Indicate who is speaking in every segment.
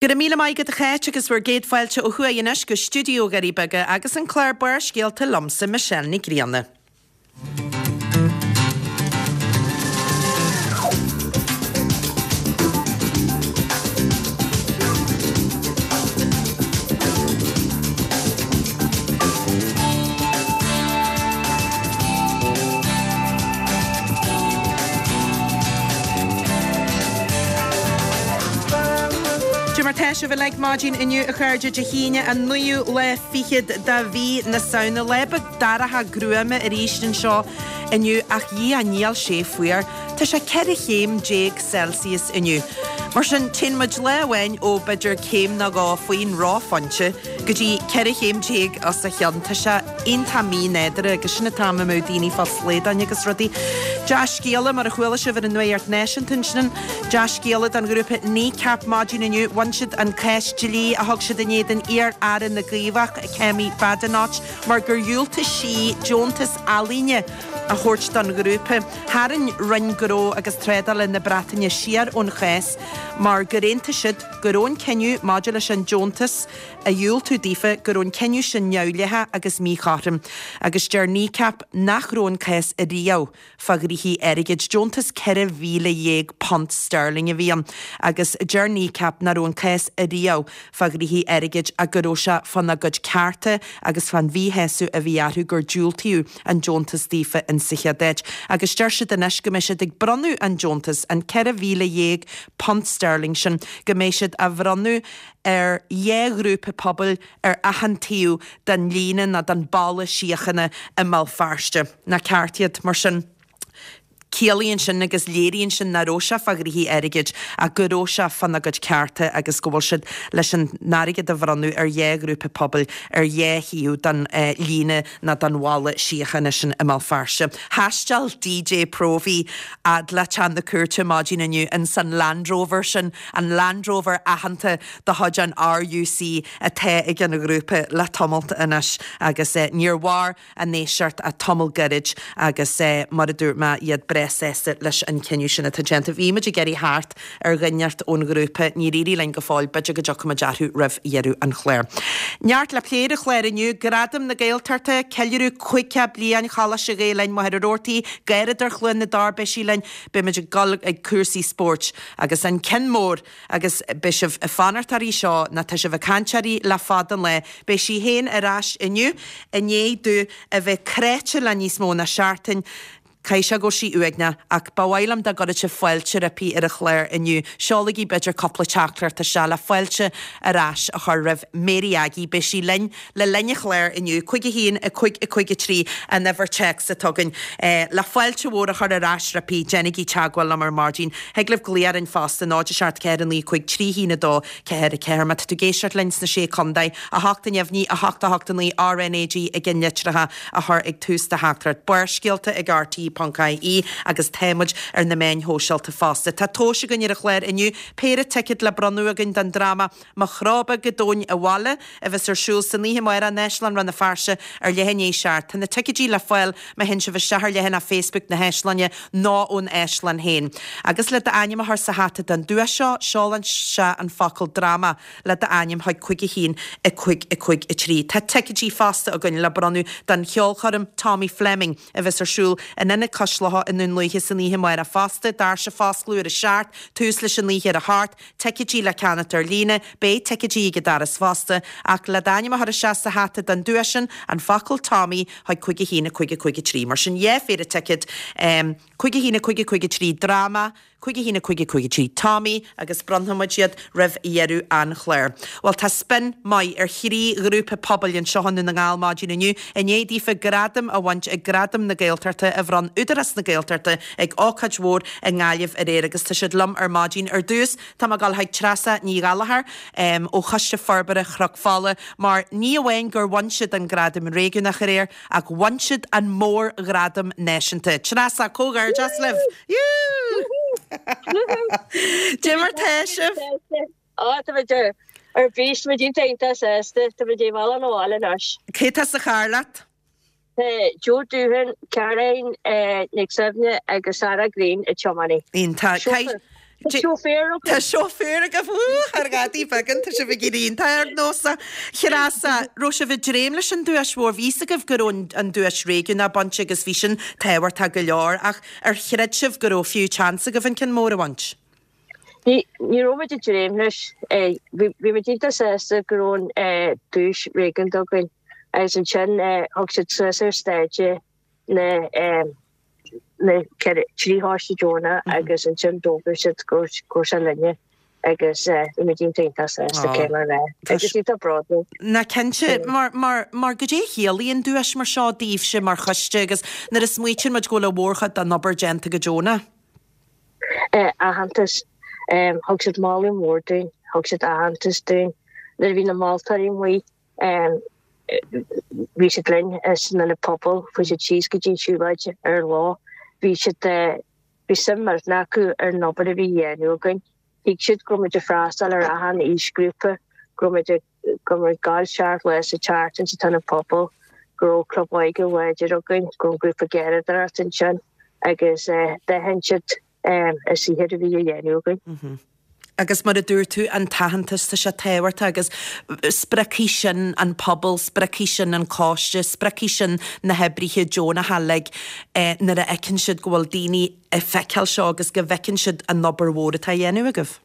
Speaker 1: Go raibh míle maith agat a Cháit agus bhur gcéad fáilte ó thuaidh anois go stiúideo Dhoirí Beaga agus an clár Barrscéalta liomsa Michelle Ní Grianna. Cad é mar tá sibh uilig maidin inniu a chairde Dé hAoine an naoú lá fichead de mhí na Samhna. Lá beag dorcha gruama arís anseo inniu ach dhia níl sé fuar. Tá sé 14 chéim Celsius inniu. Mar sin téann muid lá amháin ó b'fhéidir céim nó dhó faoin reophointe go dtí 14 chéim os a chionn. Tá sé iontach mí-nádúrtha agus sin an t-am a mbeadh daoine fá shlaodáin agus rudaí. Dea-scéala, mar a chuala sibh ar an Nuacht Náisiúnta ansin, dea-scéala don ghrúpa Kneecap maidin inniu. Bhain siad an cás dlí a thug siad in éadan iar-aire na gCaomhach, Kemi Badenoch, mar gur dhiúltaigh sí deontas ealaíne a thabhairt don ghrúpa. Tharraing Roinn Gnó agus Trádála na Breataine siar ón chás mar gur aontaigh siad go raibh an cinneadh maidir leis an deontas a dhiúltú daofa go raibh an cinneadh sin neamhdhleathach agus míchothrom agus deir Kneecap nach raibh an cás ariamh fá ghnoithí airgid. Deontas £14,000 sterling a bhí ann agus deir Kneecap nach raibh an cás ariamh fá ghnoithí airgid ach go raibh sé fána gcuid cearta agus fán mhíshásamh a bhí orthu gur diúltaíodh an deontas daofa in sa chéad áit. Agus deir siad anois go mbeidh siad ag bronnadh an deontas, an £14,000 sterling sin, go mbeidh siad á bhronnadh ar dhá ghrúpa pobail ar achan taobh den líne nó den bhalla síochána i mBéal Feirste. Nach ceart iad, mar sin? Ciallaíonn sin agus léiríonn sin nach raibh sé fá ghnoithí airgid ach go raibh sé fána gcuid cearta agus go bhfuil siad leis an airgead a bhronnadh ar dhá ghrúpa pobail ar dhá thaobh den líne nó den bhalla síochána sin i mBéal Feirste. Thaisteal DJ Próvaí fhad le teach na cúirte maidin inniu ins an Land Rover sin an Land Rover aitheanta de chuid an RUC atá ag an ghrúpa le tamalt anois agus níor mhair an éisteacht ach tamall gairid agus mar a dúirt mé iad breá sásta leis an cinneadh sin atá déanta. Bhí muid ag iarraidh theacht ar dhuine inteacht ón ghrúpa, níor éirigh linn go fóill, b'fhéidir go dtiocfaidh muid orthu roimh dheireadh an chláir. Neart le plé ar an chlár inniu, Gradaim na Gaeltachta, ceiliúradh 50 bliain Choláiste Ghael Linn Machaire Rabhartaigh, Gáradóir Chluain na dTor, beidh sí linn, beidh muid ag dul ag cúrsaí spóirt. Agus an ceann mór, agus beidh sibh ag fanacht uirthi seo, nó tá sibh ag caint uirthi le fada an lá, beidh sí féin ar ais inniu, i ndiaidh di a bheith cráite le níos mó ná seachtain. Caithfidh sé go bhfuil sí uaigneach, ach ba mhaith liom dá gcuirfeadh sibh fáilte roimpi ar an chlár inniu. Seolaigí b'fhéidir cúpla teachtaireacht isteach le fáilte ar ais a chur roimh Mary Aggie. Beidh sí linn le linn an chláir inniu, 5 1 5 5 3 an uimhir téacs atá againn. Le fáilte mhór a chur ar ais roimpi, déanaigí teagmháil liom ar maidin. Thig libh glaoch orainn fosta, 0 7 4 9 5 3 1 2 4 4. Má tá tú ag éisteacht linn sna Sé Contae, 8 neamhní, 8 8 9 RNAG i gceannlitreacha a chur ag tús do theachtaireacht. Barrscéalta ag RTÉ.ie agus tá muid ar na meáin shóisialta fosta. Tá tomhais againn ar an chlár inniu, péire ticéad le bronnadh againn don dráma Mo Chró Beag go Domhain Abhaile, a bheas ar siúl san oíche amárach in Áislann Rann na Feirste ar leath i ndiaidh a seacht. Tá na ticéidí le fáil má théann sibh isteach ar leathanach Facebook na hÁislainne nó ón Áislann féin. Agus le d'ainm a chur sa hata don duais seo, seol isteach an focal 'dráma' le d'ainm chuig 5 1 5 5 3. Tá ticéidí fosta againn le bronnadh don cheolchoirm Tommy Fleming a bheas ar siúl in Ionad Cois Locha i nDún Lúiche san oíche amárach fosta. Doirse ag foscladh ar a seacht, tús leis an oíche ar a hocht. Ticéidí le ceannacht ar líne, beidh ticéidí ag an doras fosta, ach le d'ainm a chur isteach sa hata don duais sin, an focal Tommy chuig 5 1 5 5 3. Mar sin, dhá phéire ticéad, 5 1 5 5 3 Dráma, 5 1 5 5 3 Tommy, agus bronnfaidh muid iad roimh dheireadh an chláir. Bhuel, tá spin maith ar thrí ghrúpa pobail anseo i nDún na nGall maidin inniu, i ndiaidh daofa gradam a bhaint ag Gradaim na Gaeltachta a bhronn Údarás na Gaeltachta ag ócáid mhór i nGaillimh aréir agus tá siad liom ar maidin. Ar dtús, tá mé ag dul chuig Treasa Ní Ghallchóir ó Choiste Forbartha Chnoc Fola mar ní amháin gur bhain siad an gradam réigiúnach aréir ach bhain siad an mórghradam náisiúnta. Treasa, comhghairdeas libh! Cad é mar tá sibh?
Speaker 2: Á, tá muid ar bís, tá muid iontach iontach sásta, tá muid ag dul abhaile anois.
Speaker 1: Cé tá sa charr leat?
Speaker 2: Tá Joe Doohan, Caroline Nic Suibhne agus Sarah Greene ag tiomáint.
Speaker 1: Iontach.
Speaker 2: Tá seoféir
Speaker 1: againn. Tá seoféir agaibh, wú, thar ghadaí beagán, tá sibh ag éirí iontach ardnósach. Treasa, raibh sibh ag dréim leis an duais mhór, bhí fhios agaibh go raibh an duais réigiúnach bainte agus bhí sin tábhachtach go leor, ach ar chreid sibh go raibh fiú chance agaibh an ceann mór a bhaint?
Speaker 2: Ní raibh muid ag dréim leis. Bhí muid iontach sásta go raibh an duais réigiúnda againn agus ansin thug siad suas ar stáitse na na 3 choiste deonach agus ansin d'fhógair siad go raibh sé linne agus bhí muid iontach iontach sásta cé mar bheith agus iontach bródúil.
Speaker 1: Ná cinnte, mar mar mar goidé a chiallaíonn duais mar seo daoibhse mar choiste agus nuair a smaoitíonn muid go bhfuil an mhórchuid den obair déanta go deonach?
Speaker 2: Aitheantas. Thug siad moladh mór dúinn, thug siad aitheantas dúinn. Nuair a bhí na moltóirí amuigh, bhí siad linn san ionad pobail, chuaigh siad síos go dtí an siúlóid ar an lá. Bhí siad, bhí suim millteanach acu ar an obair a bhí á dhéanamh againn. Thuig siad go raibh muid ag freastal ar achan aoisghrúpa, go raibh muid ag go raibh muid ag gabháil 7 lá sa tseachtain sa t-ionad pobail, go raibh club óige láidir againn, go raibh an grúpa garraíodóireachta ansin agus d'aithin siad an saothar a bhí á dhéanamh againn.
Speaker 1: Agus mar a dúirt tú, an t-aitheantas, tá sé tábhachtach agus spreagfaidh sin an pobal, spreagfaidh sin an coiste, spreagfaidh sin na hoibrithe deonacha uilig nuair a fheiceann siad go bhfuil daoine ag feiceáil seo agus go bhfeiceann siad an obair mhór atá á dhéanamh agaibh.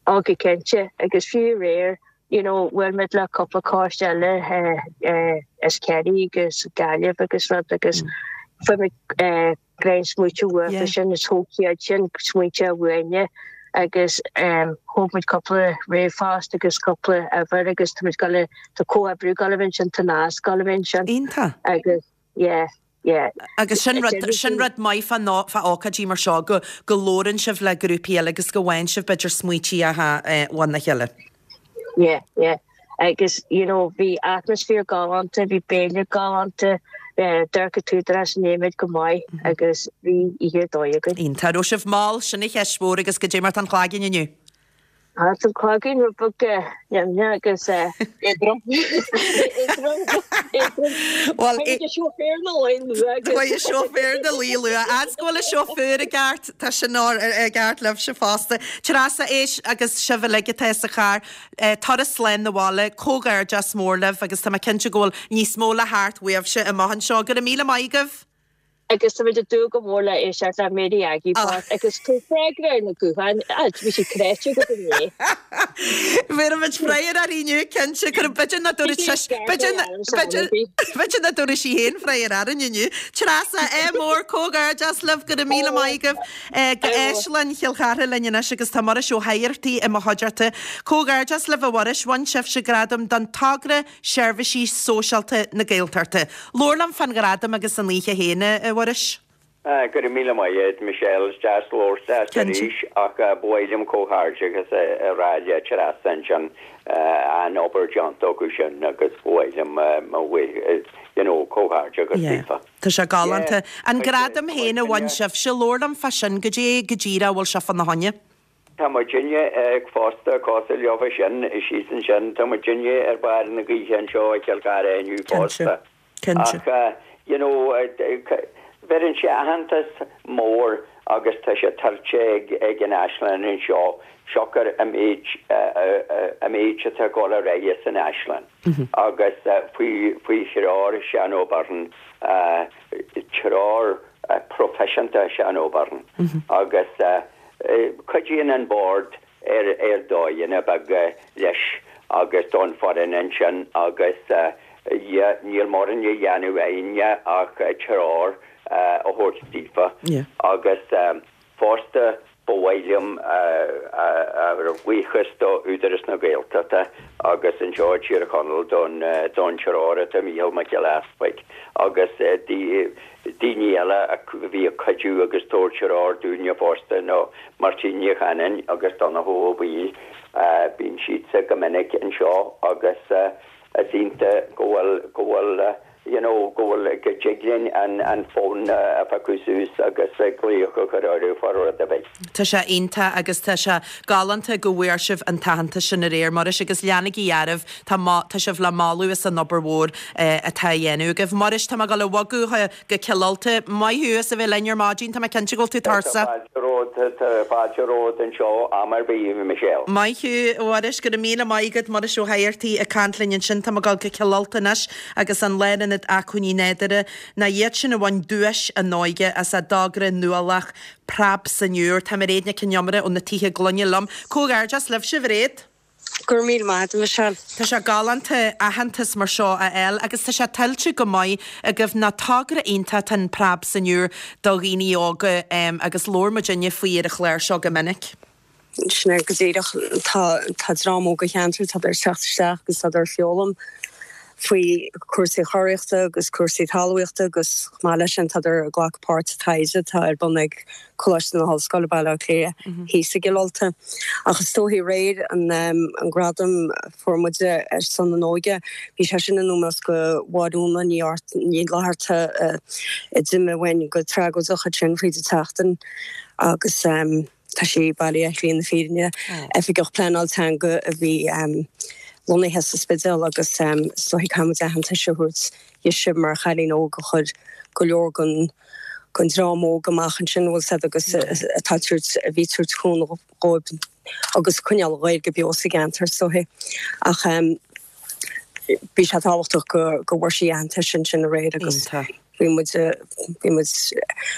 Speaker 2: Ó go cinnte, agus fiú aréir, you know, bhuail muid le cúpla coiste eile as Ciarraí agus Gaillimh agus rud agus fuair muid greim smaointe uathu sin is thóg siad sin smaointe uainne agus thóg muid cúpla ríomhphost agus cúpla uimhir agus tá muid ag gabháil, tá comhoibriú ag gabháil a bheith ansin, tá nasc ag gabháil a bheith ansin.
Speaker 1: Iontach.
Speaker 2: Agus yeah. Yeah.
Speaker 1: Agus sin rud, sin rud maith fá ná, fá ócáidí mar seo, go, go labhrann sibh le grúpaí eile agus go bhfaigheann sibh b'fhéidir smaointí óna chéile.
Speaker 2: Yeah, yeah. Agus, you know, bhí atmaisféar galánta, bhí béile galánta, d'amharc an t-údarás i ndiaidh muid go maith agus bhí oíche ar dóigh againn.
Speaker 1: Iontach. Raibh sibh mall, sin an cheist mhór agus goidé mar tá an cloigeann inniu?
Speaker 2: Tá an cloigeann rud beag nimhneach agus éadrom. Éadrom. Éadrom.
Speaker 1: Bhuel,
Speaker 2: Tá seoféir 'na luí luath agus.
Speaker 1: Tá seoféir 'na luí luath. Fhad 's go bhfuil an seoféir i gceart, tá sin i gceart libhse fosta. Treasa, éist agus sibh uilig atá sa charr, turas slán 'na bhaile, comhghairdeas mór libh agus tá mé cinnte go bhfuil níos mó le theacht uaibhse amach anseo. Go raibh míle maith agaibh.
Speaker 2: Agus tá muid ag dúil go mór le éisteacht le Mary Aggie Park agus tabhair freagra ar na gutháin, bhí siad cráite agat inné.
Speaker 1: Bhéarfaimid freagra uirthi inniu, cinnte. Cuirfidh, b'fhéidir nach dtabharfaidh sise, b'fhéidir, b'fhéidir, b'fhéidir nach dtabharfaidh sí féin freagra orainn inniu. Treasa, ádh mór, comhghairdeas libh, go raibh míle maith agaibh. Go Áislann Chill Chartha linn anois agus tá Muiris Ó hEigeartaigh i mo chuideachta. Comhghairdeas libh a Mhuiris, bhain sibhse gradam don togra Seirbhísí Sóisialta na Gaeltachta. Labhair liom fán ghradam agus an oíche féin, a Mhuiris.
Speaker 3: Go raibh míle maith agat, Michelle. Is deas labhairt leat arís ach ba mhaith liom comhghairdeachas a rá le Treasa ansin. An-obair déanta acu sin agus ba mhaith liom mo you know, comhghairdeachas daofa.
Speaker 1: Tá sé galánta. An gradam féin a bhain sibhse, labhair liom fá sin, goidé go díreach a bhfuil sé fána choinne?
Speaker 3: Tá muidinne fosta cosúil leofa sin síos ansin, tá muidinne ar bharr na gaoithe anseo i gCill Chartha inniu fosta. Ach you know bheireann sé aitheantas mór agus tá sé tuillte ag ag an Áislann anseo siocair an méid an méid atá ag dul ar aghaidh san Áislann agus faoi faoi threoir Seán Ó Beirn treoir proifisiúnta Seán Ó Beirn agus Cuidíonn an Bord ar ar dóigheanna beaga leis agus don foireann ansin agus yeah níl mórán le dhéanamh againne ach treoir a thabhairt daofa agus fosta ba mhaith liom ár bhuíochas do Údarás na Gaeltachta agus anseo i dTír Chonaill don don treoir atá Mícheál Mac Giolla Easpaig agus daoine eile a bhí ag cuidiú agus tabhairt treoir dúinne fosta ná Máirtín Ní Chanainn agus Donnchadh Ó Baoill. Bíonn siadsa go minic anseo agus is iontach go bhfuil, go bhfuil, you know, go bhfuil, go dtig linn an, an fón a phiocadh suas agus glaoch a chur orthu fá rud ar bith.
Speaker 1: Tá sé iontach agus tá sé galánta go bhfuair sibh an t-aitheantas sin aréir, Muiris, agus leanaigí oraibh, tá, tá sibh le moladh as an obair mhór atá á dhéanamh agaibh. Muiris, tá mé ag dul a bhogadh go Cill Ulta. Maith thú as a bheith linn ar maidin, tá mé cinnte go bhfuil tú
Speaker 3: tuirseach. Tá fáilte romhat. romhat, tá fáilte romhat anseo am ar bith, a Michelle.
Speaker 1: Maith thú, a Mhuiris, go raibh míle maith agat, Muiris Ó hAdhartaigh ag caint linn ansin. Tá mé ag dul go Cill Ulta anois agus an Lárionad Acmhainní Nádúrtha, ná iad sin a bhain duais an óige as a dtogra nuálach Preab san Iúr. Tá Mairéad Nic Con Iomaire ó na Tithe Gloine liom. Comhghairdeas libhse, a Mhairéad.
Speaker 4: Go raibh míle maith agat, a Michelle.
Speaker 1: Tá sé galánta aitheantas mar seo a fháil agus tá sé tuillte go maith agaibh ná togra iontach atá in Preab san Iúr do dhaoine óga agus labhair muidinne faoi ar an chlár seo go minic.
Speaker 4: Sin é go díreach. Tá tá dream óg an cheantair, tádar ag teacht isteach agus tádar ag foghlaim faoi cúrsaí churaíochta agus cúrsaí talmhaíochta agus chomh maith leis sin tádar ag glacadh páirt sa taighde atá ar bun ag Coláiste na hOllscoile, Baile Átha Cliath, thíos i gCill Ulta. Ach is dóichí aréir an an gradam a fuair muide ar son an óige, bhí sé sin in ómós go Mháire Úna Ní Ní Fhlatharta a d'imigh uainn go tragóideach ansin fríd an tseachtain agus tá sí Baile Átha Cliath na fírinne, Oifigeach Pleanáil Teanga a bhí lonnaithe sa Spidéal agus is dóichí caithfidh muid aitheantas a thabhairt dhise mar chailín óg a chuir go leor den den dream óg amach ansin, bhfuil 's a'd, agus atá ag tabhairt, a bhí ag tabhairt cúnamh dhóibh agus coinneáil an Ghaeilge beo sa gceantar is dóichí. Ach bhí sé tábhachtach go go bhfuair sí aitheantas ansin aréir agus bhí muid bhí muid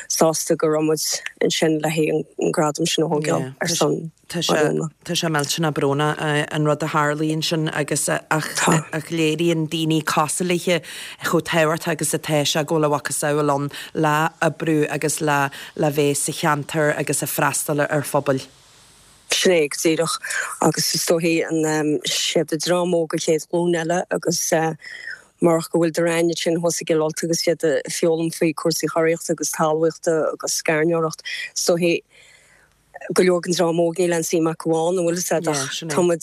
Speaker 4: sásta go raibh muid ansin le haghaidh an gradam sin a thógáil ar son
Speaker 1: Tá sé, tá sé millteanach brónach an rud a tharlaigh ansin agus ach ach léiríonn daoine cosúil léithe chomh tábhachtach agus atá sé go bhfuil a mhacasamhail ann le oibriú agus le le bheith sa cheantar agus ag freastal ar phobail.
Speaker 4: Sin é go díreach agus is dóichí an siad an dream óg an chéad ghlúin eile agus murach go bhfuil daoine ansin thuas i gCill Ulta agus iad ag foghlaim faoi cúrsaí churaíochta agus talmhaíochta agus gairneoireacht is dóichí go leor den dream óg níl aon suim acu ann, an bhfuil 'fhios a'd, ach tá muid,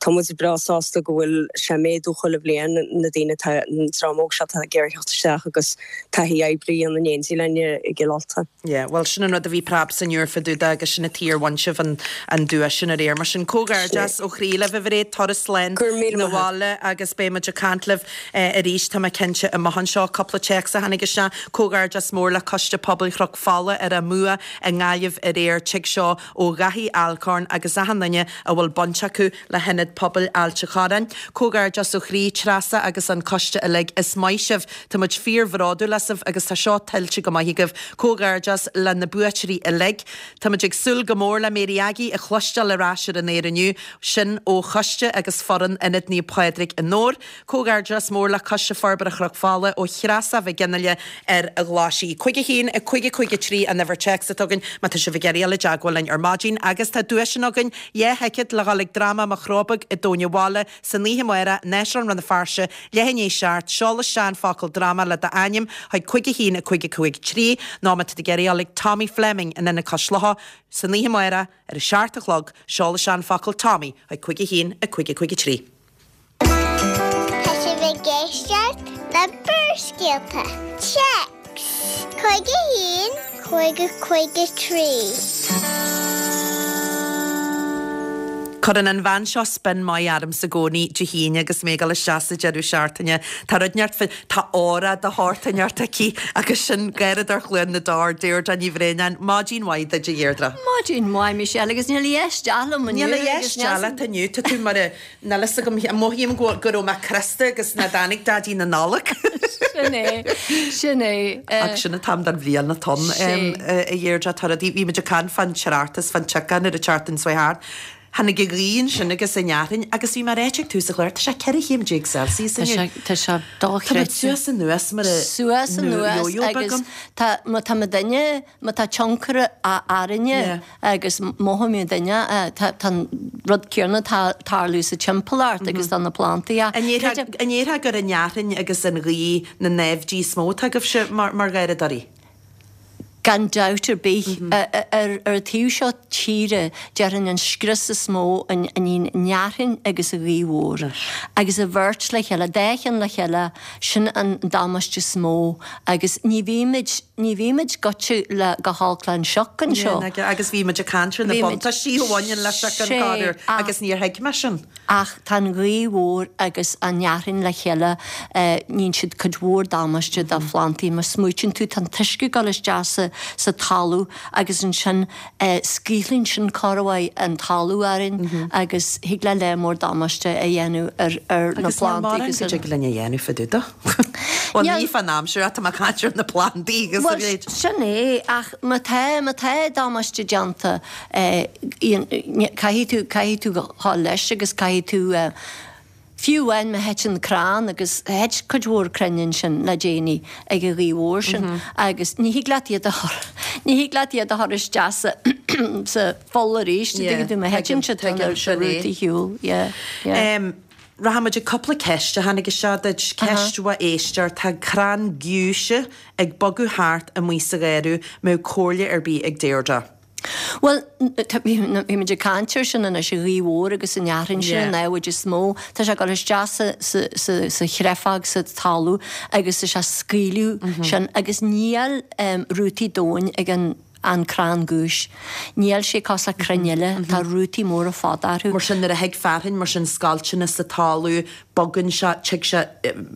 Speaker 4: tá muid breá sásta go bhfuil sé ag méadú chuile bhliain, na daoine atá, an dream óg seo atá ag iarraidh theacht isteach agus taithí oibre a dhéanamh in éindí linn i gCill Ulta.
Speaker 1: Yeah, bhuel sin an rud a bhí Preab san Iúr fá dtaobh de agus sin an tuige ar bhain sibh an, an duais sin aréir. Mar sin comhghairdeas ó chroí libh a Mhairéad, turas slán
Speaker 4: Go raibh míle
Speaker 1: na
Speaker 4: maith a't.
Speaker 1: bhaile agus beidh muid ag caint libh arís, tá mé cinnte, amach anseo. Cúpla téacs a tháinig isteach, comhghairdeas mór le Coiste Pobail Chnoc Fola ar a mbua i nGaillimh aréir, tig seo ó Dhaithí Alcorn agus achan duine a bhfuil baint acu le hIonad Pobail Ailt a' Chorráin. Comhghairdeas ó chroí, Treasa agus an coiste uilig, is maith sibh, tá muid fíor bhródúil asaibh agus tá seo tuillte go maith agaibh. Comhghairdeas le na buaiteoirí uilig. Tá muid ag súil go mór le Mary Aggie a chloisteáil ar ais ar an aer inniu, sin ó choiste agus foireann Ionad Naomh Pádraig i nDobhar. Comhghairdeas mór le Coiste Forbartha Chnoc Fola ó Threasa Mhic Fhionnghaile ar an Ghlaisigh. 5 1 5 5 3 an uimhir téacs atá againn má tá sibh ag iarraidh dul i dteagmháil linn ar maidin agus tá duaiseanna againn, 2 thicéad le dhul ag dráma Mo Chró Beag i dTóin an Bhaile san oíche amárach, Áislann Rann na Feirste, leath i ndiaidh 7, seol isteach an focal dráma le d'ainm chuig 5 1 5 5 3 nó má tá tú ag iarraidh dul ag Tommy Fleming in Ionad Cois Locha san oíche amárach ar a 7 a chlog, seol isteach an focal Tommy chuig 5 1 5 5 3.
Speaker 5: Tá sibh ag éisteacht le Barrscéalta. Téacs 51 5 5 3.
Speaker 1: Cuireann an bhean seo spin maith ormsa i gcónaí Dé hAoine agus mé ag dul isteach sa deireadh seachtaine. Tá rud inteacht fá, tá aura de shórt inteacht aici agus sin Gáireadóir Chluain na dTor, Deirdre Ní Bhraonáin. Maidin mhaith duit a Dheirdre.
Speaker 6: Maidin mhaith Michelle agus níl a dheis dea liom
Speaker 1: inniu. Níl a dheis dea leat inniu, tá tú mar a Níl fhios agam, mothaím go raibh mé crosta agus nach dtáinig Daidí na Nollag.
Speaker 6: Sin é, sin é.
Speaker 1: Ach sin an t-am den bhliain atá ann, a Dheirdre, tá rudaí, bhí muid ag caint fán tráchtas, fán tsioca nuair a tseachtain seo thart. Tháinig an ghaoth ansin agus an fhearthainn agus bhí mé ag ráit ag tús an chláir, tá sé 14 chéim Celsius inniu.
Speaker 6: Tá sé dochreidte.
Speaker 1: Tá muid suas anuas mar a
Speaker 6: Suas anuas agus tá, má tá muidinne, má tá tionchar orainne agus mothaíonn duine, tá an rud céanna ag tarlú sa timpeallacht agus do na plandaí.
Speaker 1: An ndéarfá gur an fhearthainn agus an ghaoth na naimhdí is mó atá agaibhse mar gharradóirí?
Speaker 6: Gan dabht ar bith. Ar an taobh seo tíre, déarfainn an scrios is mó an fhearthainn agus an ghaoth mhór. Agus an bheirt le chéile, dá cheann le chéile, sin an damáiste is mó agus ní bhímid, Ní bhímid goite le go holc le an sioc anseo.
Speaker 1: Agus bhí muid ag caint ar na buntáistí a bhaineann le sioc an corruair agus níor thuig mé sin.
Speaker 6: Ach tá an ghaoth mhór agus an fhearthainn le chéile, níonn siad cuid mhór damáiste do phlandaí. Má smaoitíonn tú, tá an t-uisce ag dul isteach sa. sa sa talamh agus ansin scaoileann sin corruair an talamh orainn agus thig le lear mór damáiste a dhéanamh ar ar na
Speaker 1: Agus níl
Speaker 6: plandaí
Speaker 1: mórán
Speaker 6: agus
Speaker 1: go
Speaker 6: ar
Speaker 1: dtig linn a dhéanamh fá dtaobh de. Bhuel ní fán aimsir ach tá mé ag caint ar na plandaí agus a
Speaker 6: Bhuel
Speaker 1: leithéid.
Speaker 6: sin é ach má tá má tá damáiste déanta caithfidh tú caithfidh tú dhul leis agus caithfidh tú Fiú amháin má thiteann crann, agus thit cuid mhór crainn ansin le déanaí ag an ghaoth mhór sin, agus ní thig leat iad a chur, ní thig leat iad a chur isteach sa, sa pholl arís, an dtuigeann tú, má thiteann siad tá na rútaí ar shiúl, yeah, yeah.
Speaker 1: Rachaidh muid ag cúpla ceist a tháinig isteach duit. Ceist ó éisteoir, tá crann giúise ag bogadh thart amuigh sa gharradh, mbeadh comhairle ar bith ag Deirdre?
Speaker 6: Bhuel, bhí muid ag caint air sin anois, an ghaoth mhór agus an fhearthainn sin an namhaid is mó. Tá sé ag dul isteach sa, sa, sa, sa chreafag, sa talamh agus tá sé ag scaoileadh sin agus níl rútaí domhain ag an, an crann giúis. Níl sé cosúil le crainn eile, tá rútaí móra fada orthu.
Speaker 1: Mar sin nuair a thig fearthainn, mar sin scoilteanna sa talamh, bogann sé, tig sé,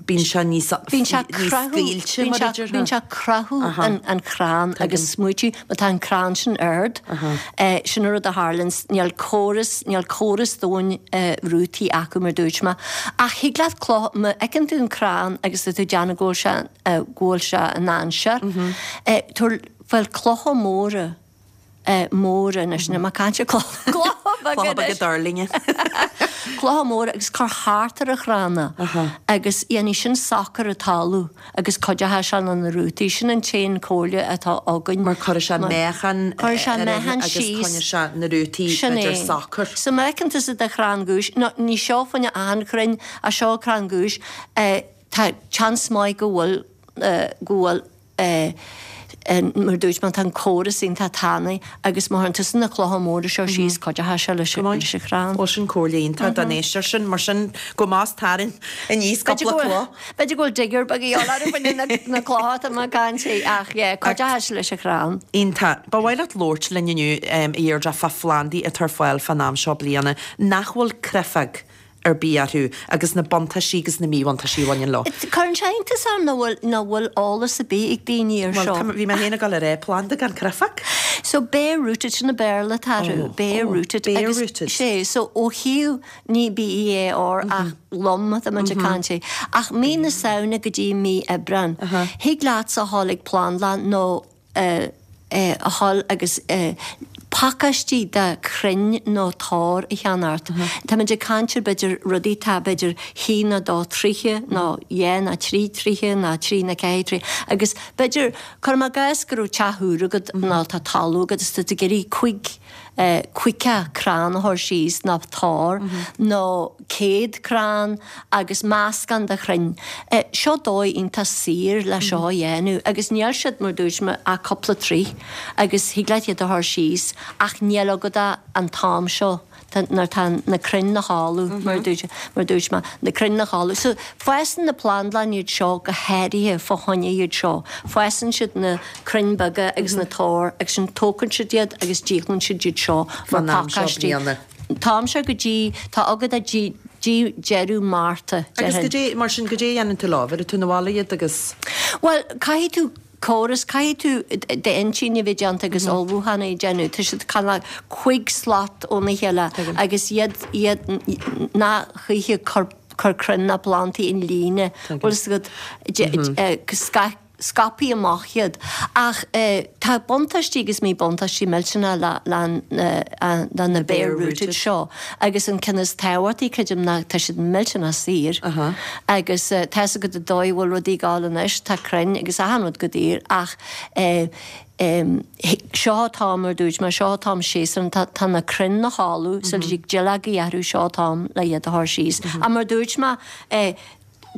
Speaker 1: bíonn sé níos,
Speaker 6: Bíonn sé croitheadh,
Speaker 1: scaoilte
Speaker 6: bíonn
Speaker 1: mar a
Speaker 6: sé,
Speaker 1: déarfá.
Speaker 6: bíonn sé croitheadh an, an chrann agus smaoitiú, má tá an crann sin ard, sin an rud a tharlaíonn, níl córas, níl córas domhain rútaí acu mar dúirt mé. Ach thig leat cloch, má fheiceann tú an crann agus tá tú ag déanamh go bhfuil sé, go bhfuil sé i ndainséar, tabhair, fáil clocha móra, móra anois, níl mé ag caint ar clocha beaga
Speaker 1: Clocha beaga duirlinge.
Speaker 6: Clocha móra agus cur thart ar an chrann agus dhéanfaidh sin socair an talamh agus cuideochaidh sé le na rútaí. Sin an t-aon comhairle atá againn.
Speaker 1: Mar cuirfidh sé meáchan
Speaker 6: Cuirfidh sé meáchan
Speaker 1: agus
Speaker 6: síos.
Speaker 1: coinneoidh sé na rútaí
Speaker 6: Sin
Speaker 1: b'fhéidir
Speaker 6: é.
Speaker 1: socair.
Speaker 6: So má fheiceann tusa do chrann giúis, nó ní seo fá choinne achan chrainn ach seo crann giúis, tá seans maith go bhfuil, go bhfuil, mar dúirt mé, tá an córas iontach tanaí agus má chuireann tusa na clocha móra seo síos, cuideochaidh sé leis an chrann.
Speaker 1: Bhuel, sin comhairle iontach don éisteoir sin. Mar sin, gabh amach 's tarraing aníos cúpla cloch.
Speaker 6: B'fhéidir go bhfuil digger beag a dhíobháil orthu fá choinne na clocha atá mé ag caint faoi ach yeah, cuideochaidh sé leis an chrann.
Speaker 1: Iontach. Ba mhaith leat labhairt linn inniu, a Dheirdre, fá phlandaí atá ar fáil fán am seo bliana nach bhfuil creifeag ar bith orthu agus na buntáistí agus na míbhuntáistí a bhaineann leo.
Speaker 6: Cuireann sé iontas orm nach bhfuil, nach bhfuil eolas ar bith ag daoine ar
Speaker 1: Bhuel,
Speaker 6: seo.
Speaker 1: tá, bhí mé féin ag dul a rá, planda gan creifeag.
Speaker 6: So bare rooted, sin an Béarla atá orthu,
Speaker 1: Oh,
Speaker 6: bare
Speaker 1: oh,
Speaker 6: rooted.
Speaker 1: bare
Speaker 6: Agus
Speaker 1: rooted.
Speaker 6: sé, so ó thaobh, ní B-E-A-R ach lom atá muid ag caint faoi. Ach mí na Samhna go dtí mí Aibreán, thig leatsa a dhul ag plandlann nó, a dhul agus pacáistí de chrainn nó tor a cheannacht. Táimid ag caint ar b'fhéidir rudaí atá b'fhéidir haon nó dó troithe nó dhá nó trí troithe nó trí nó ceathair troithe agus b'fhéidir, cuirim i gcás go raibh teach úr agat nó tá talamh agat is tá tú ag iarraidh cuig 50 crann a chur síos nó tor nó 100 crann agus meascán de chrainn. Seo dóigh iontach saor le seo a dhéanamh agus níl siad, mar dúirt mé, ach cúpla troith agus thig leat iad a chur síos ach níl agat ach an t-am seo nuair atá na crainn 'na chodladh, mar dúirt, mar dúirt mé, na crainn 'na chodladh. So, fásann na plandlanna iad seo go háirithe fá choinne iad seo. Fásann siad na. crainn beaga agus na toir agus ansin tógann siad iad agus díolann siad iad seo mar
Speaker 1: Fán am seo
Speaker 6: pacáistí.
Speaker 1: bliana.
Speaker 6: An t-am seo go dtí, tá agat go dtí deireadh Márta,
Speaker 1: Agus
Speaker 6: déarfainn.
Speaker 1: goidé, mar sin, goidé a dhéanann tú leo, bheireann tú 'na bhaile iad agus.
Speaker 6: Bhuel, caithfidh tú córas, caithfidh tú d'intinn a bheith déanta agus ullmhúchán a dhéanamh. Tá siad cineál cuig slat óna chéile agus iad, iad, ná choíche cur, cur crainn ná plandaí in líne, bhfuil fhios agat, scaith, scaipthe amach iad. Ach tá buntáistí agus míbhuntáistí millteanach le na bare rooted seo agus an ceann is tábhachtaí, creidim, ná tá siad millteanach saor agus tá fhios agat an dóigh a bhfuil rudaí ag gabháil anois, tá crainn agus achan rud go daor ach seo an t-am, mar dúirt mé, seo an t-am séasúr, tá na crainn 'na chodladh, so tig duilleogaí orthu, seo an t-am le iad a chur síos. Ach mar dúirt mé,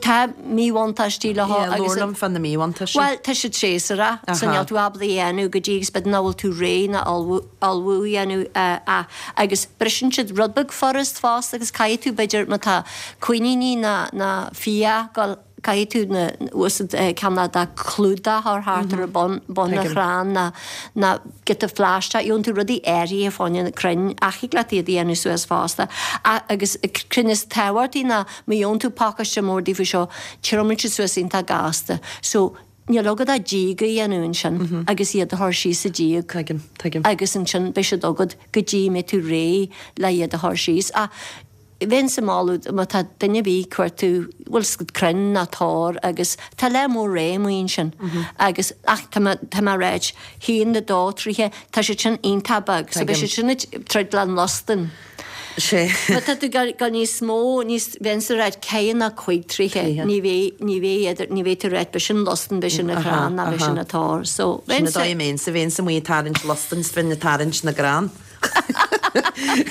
Speaker 6: Tá míbhuntáistí leo
Speaker 1: Yeah,
Speaker 6: agus.
Speaker 1: labhair liom fá na míbhuntáistí.
Speaker 6: Bhuel, tá siad séasúrach, so níl tú ábalta a dhéanamh go dtí agus b'fhéidir nach bhfuil tú réidh ná ullmhú a dhéanamh ach agus briseann siad rud beag furast fosta agus caithfidh tú b'fhéidir má tá coiníní ná ná fia ag gabháil caithfidh tú na úsaid ceann de clúdach a chur thart ar bun bun an chrann ná ná giota phlaisteach, gheobhann tú rudaí áirithe fá choinne na crainn ach thig leat iad a dhéanamh suas fosta agus ceann is tábhachtaí ná Má gheobhann tú pacáiste mór daofa seo, triomaíonn siad suas iontach gasta. So, Níl agat ach díog a dhéanamh ansin agus iad a chur síos sa díog.
Speaker 1: Tuigim, tuigim.
Speaker 6: Agus ansin beidh siad agat go dtí a mbeidh tú réidh le iad a chur síos. Ach bheinnse ag moladh má tá duine ar bith ag cuartú, bhfuil 's agat crainn ná tor agus tá lear mór ré amuigh ansin agus ach tá mé, tá mé ag ráit, haon, a dó troithe, tá siad sin iontach beag so beidh siad sin ag troid le an losdan.
Speaker 1: Sé.
Speaker 6: Má tá tú ag dul níos mó, níos, bheinnse ag ráit ceathair nó cuig troithe, ní bheidh, ní bheidh idir, ní bheidh tú ag ráit b'é sin losdan, b'é sin an crann ná b'é sin an tor. So,
Speaker 1: Sin an dóigh a mbeinnse, bheinnse amuigh ag tarraingt losdain 's bheinn ag tarraingt na gcrann.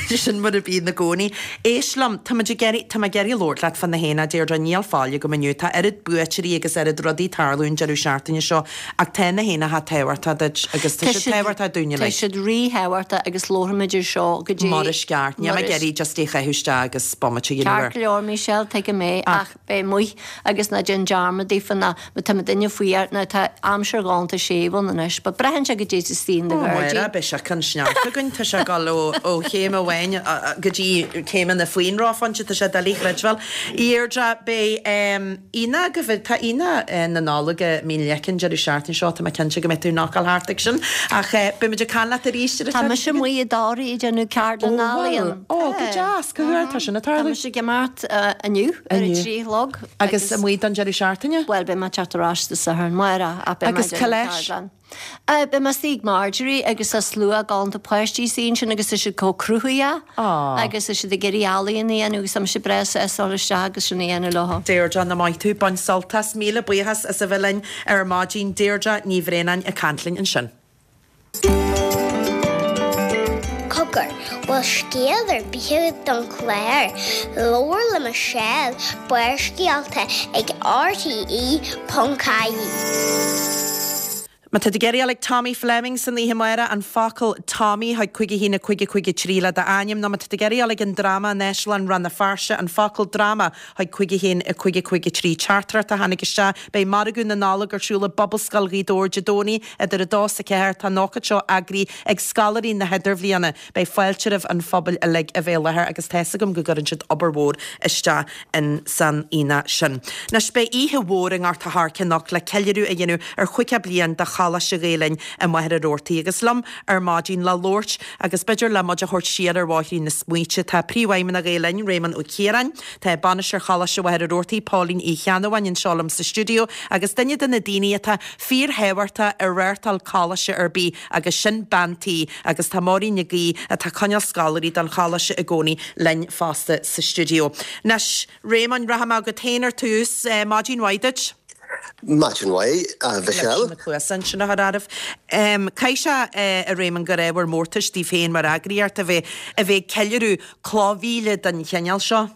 Speaker 1: Sin mar a bíonn i gcónaí. Éist liom, tá muid ag iarraidh, tá mé ag iarraidh labhairt leat fá na haonach, Deirdre, níl faill agam inniu, tá oiread buaiteoirí agus oiread rudaí ag tarlú an deireadh seachtaine seo Ach tá na haonacha tábhachtach duit agus tá siad tábhachtach dúinn
Speaker 6: uilig. Tá siad ríthábhachtach agus labharfaimid ar seo go dtí.
Speaker 1: Mar is ceart. Níl mé ag iarraidh just é a chaitheamh isteach agus bomaite a dhéanamh air.
Speaker 6: Ceart go leor, Michelle, tuigim é, ach beidh amuigh agus ná déan dearmad daofa ná má tá duine faoi air, ná tá aimsir ghalánta séimh ann anois, but braitheann sé goidé sa stíl na
Speaker 1: Ó, Máire, beidh sé chun sneachta againn, tá sé ag dul ó chéim amháin go dtí céimeanna faoin reophointe, tá sé doiligh a chreidbheáil. A Dheirdre, beidh. Aonach go bhfuil, tá Aonach na Nollag i Mín Leice an deireadh seachtaine seo, tá mé cinnte go mbeidh tú ag knockáil thart ag sin. Ach beidh muid ag caint leat arís ar an
Speaker 6: Tá mise amuigh i dToraigh ag déanamh ceardlann
Speaker 1: Ó bhfuil?
Speaker 6: ealaíon.
Speaker 1: Ó, go deas, cá huair atá sin ag
Speaker 6: Tá
Speaker 1: tarlú?
Speaker 6: mise ag imeacht inniu ar a
Speaker 1: Inniu.
Speaker 6: 3 a chlog
Speaker 1: Agus amuigh don deireadh seachtaine?
Speaker 6: Bhuel, beidh mé ag teacht ar ais Dé Sathairn, amárach, ach beidh mé
Speaker 1: Agus
Speaker 6: ag
Speaker 1: cá
Speaker 6: déanamh
Speaker 1: leis?
Speaker 6: ceardlann. Beidh mé istigh ag Marjorie agus tá slua galánta páistí istigh ansin agus tá siad chomh cruthaitheach agus tá siad ag iarraidh ealaíon a dhéanamh agus tá mise breá sásta dul isteach agus sin a dhéanamh leo.
Speaker 1: Deirdre, nach maith tú, bain sult as. Míle buíochas as a bheith linn ar maidin. Deirdre Ní Bhraonáin ag caint linn ansin.
Speaker 5: Cogar, bhfuil scéal ar bith agat don chlár? Labhair le Michelle, Barrscéalta ag RTÉ.ie.
Speaker 1: Má tá tú ag iarraidh a dhul ag Tommy Fleming san oíche amárach, an focal Tommy chuig 5 1 5 5 3 le d'ainm, nó má tá tú ag iarraidh a dhul ag an dráma in Áislann Rann na Feirste, an focal dráma chuig 5 1 5 5 3. Teachtaireacht a tháinig isteach, Beidh Margadh na Nollag ar siúl i bPobalscoil Ghaoth Dobhair Dé Domhnaigh idir 2 's 4. Tá an ócáid seo eagraithe ag scoláirí na hIdirbhliana. Beidh fáilte roimh an phobal uilig a bheith i láthair agus tá's agam go gcuireann siad obair mhór isteach in san aonach sin. Anois beidh oíche mhór i nGort a' Choirce anocht le ceiliúradh a dhéanamh ar chaoga bliain de Choláiste Ghael Linn i Machaire Rabhartaigh agus liom ar maidin le labhairt agus b'fhéidir le muid a thabhairt siar ar bhóithrín na smaointe tá Príomhfheidhmeannach Ghael Linn, Réamonn Ó Ciaráin, tá Bainisteoir Choláiste Mhachaire Rabhartaigh, Póilín Uí Cheannabháin anseo liom sa stiúideo agus duine de na daoine atá fíorthábhachtach i reáchtáil coláiste ar bith agus sin bean tí agus tá Máirín Nic Aoidh, atá ag coinneáil scoláirí don choláiste i gcónaí, linn fosta sa stiúideo. Anois, Réamoinn, rachaidh mé chugat féin ar tús. Maidin mhaith duit.
Speaker 7: Maidin mhaith, a Mhichelle.
Speaker 1: Leis na cluasa ansin a chur oraibh. Caithfidh sé, a Réamoinn, gur ábhar mórtais daoibh féin mar eagraíocht a bheith a bheith ag ceiliúradh cloch mhíle den chineál seo.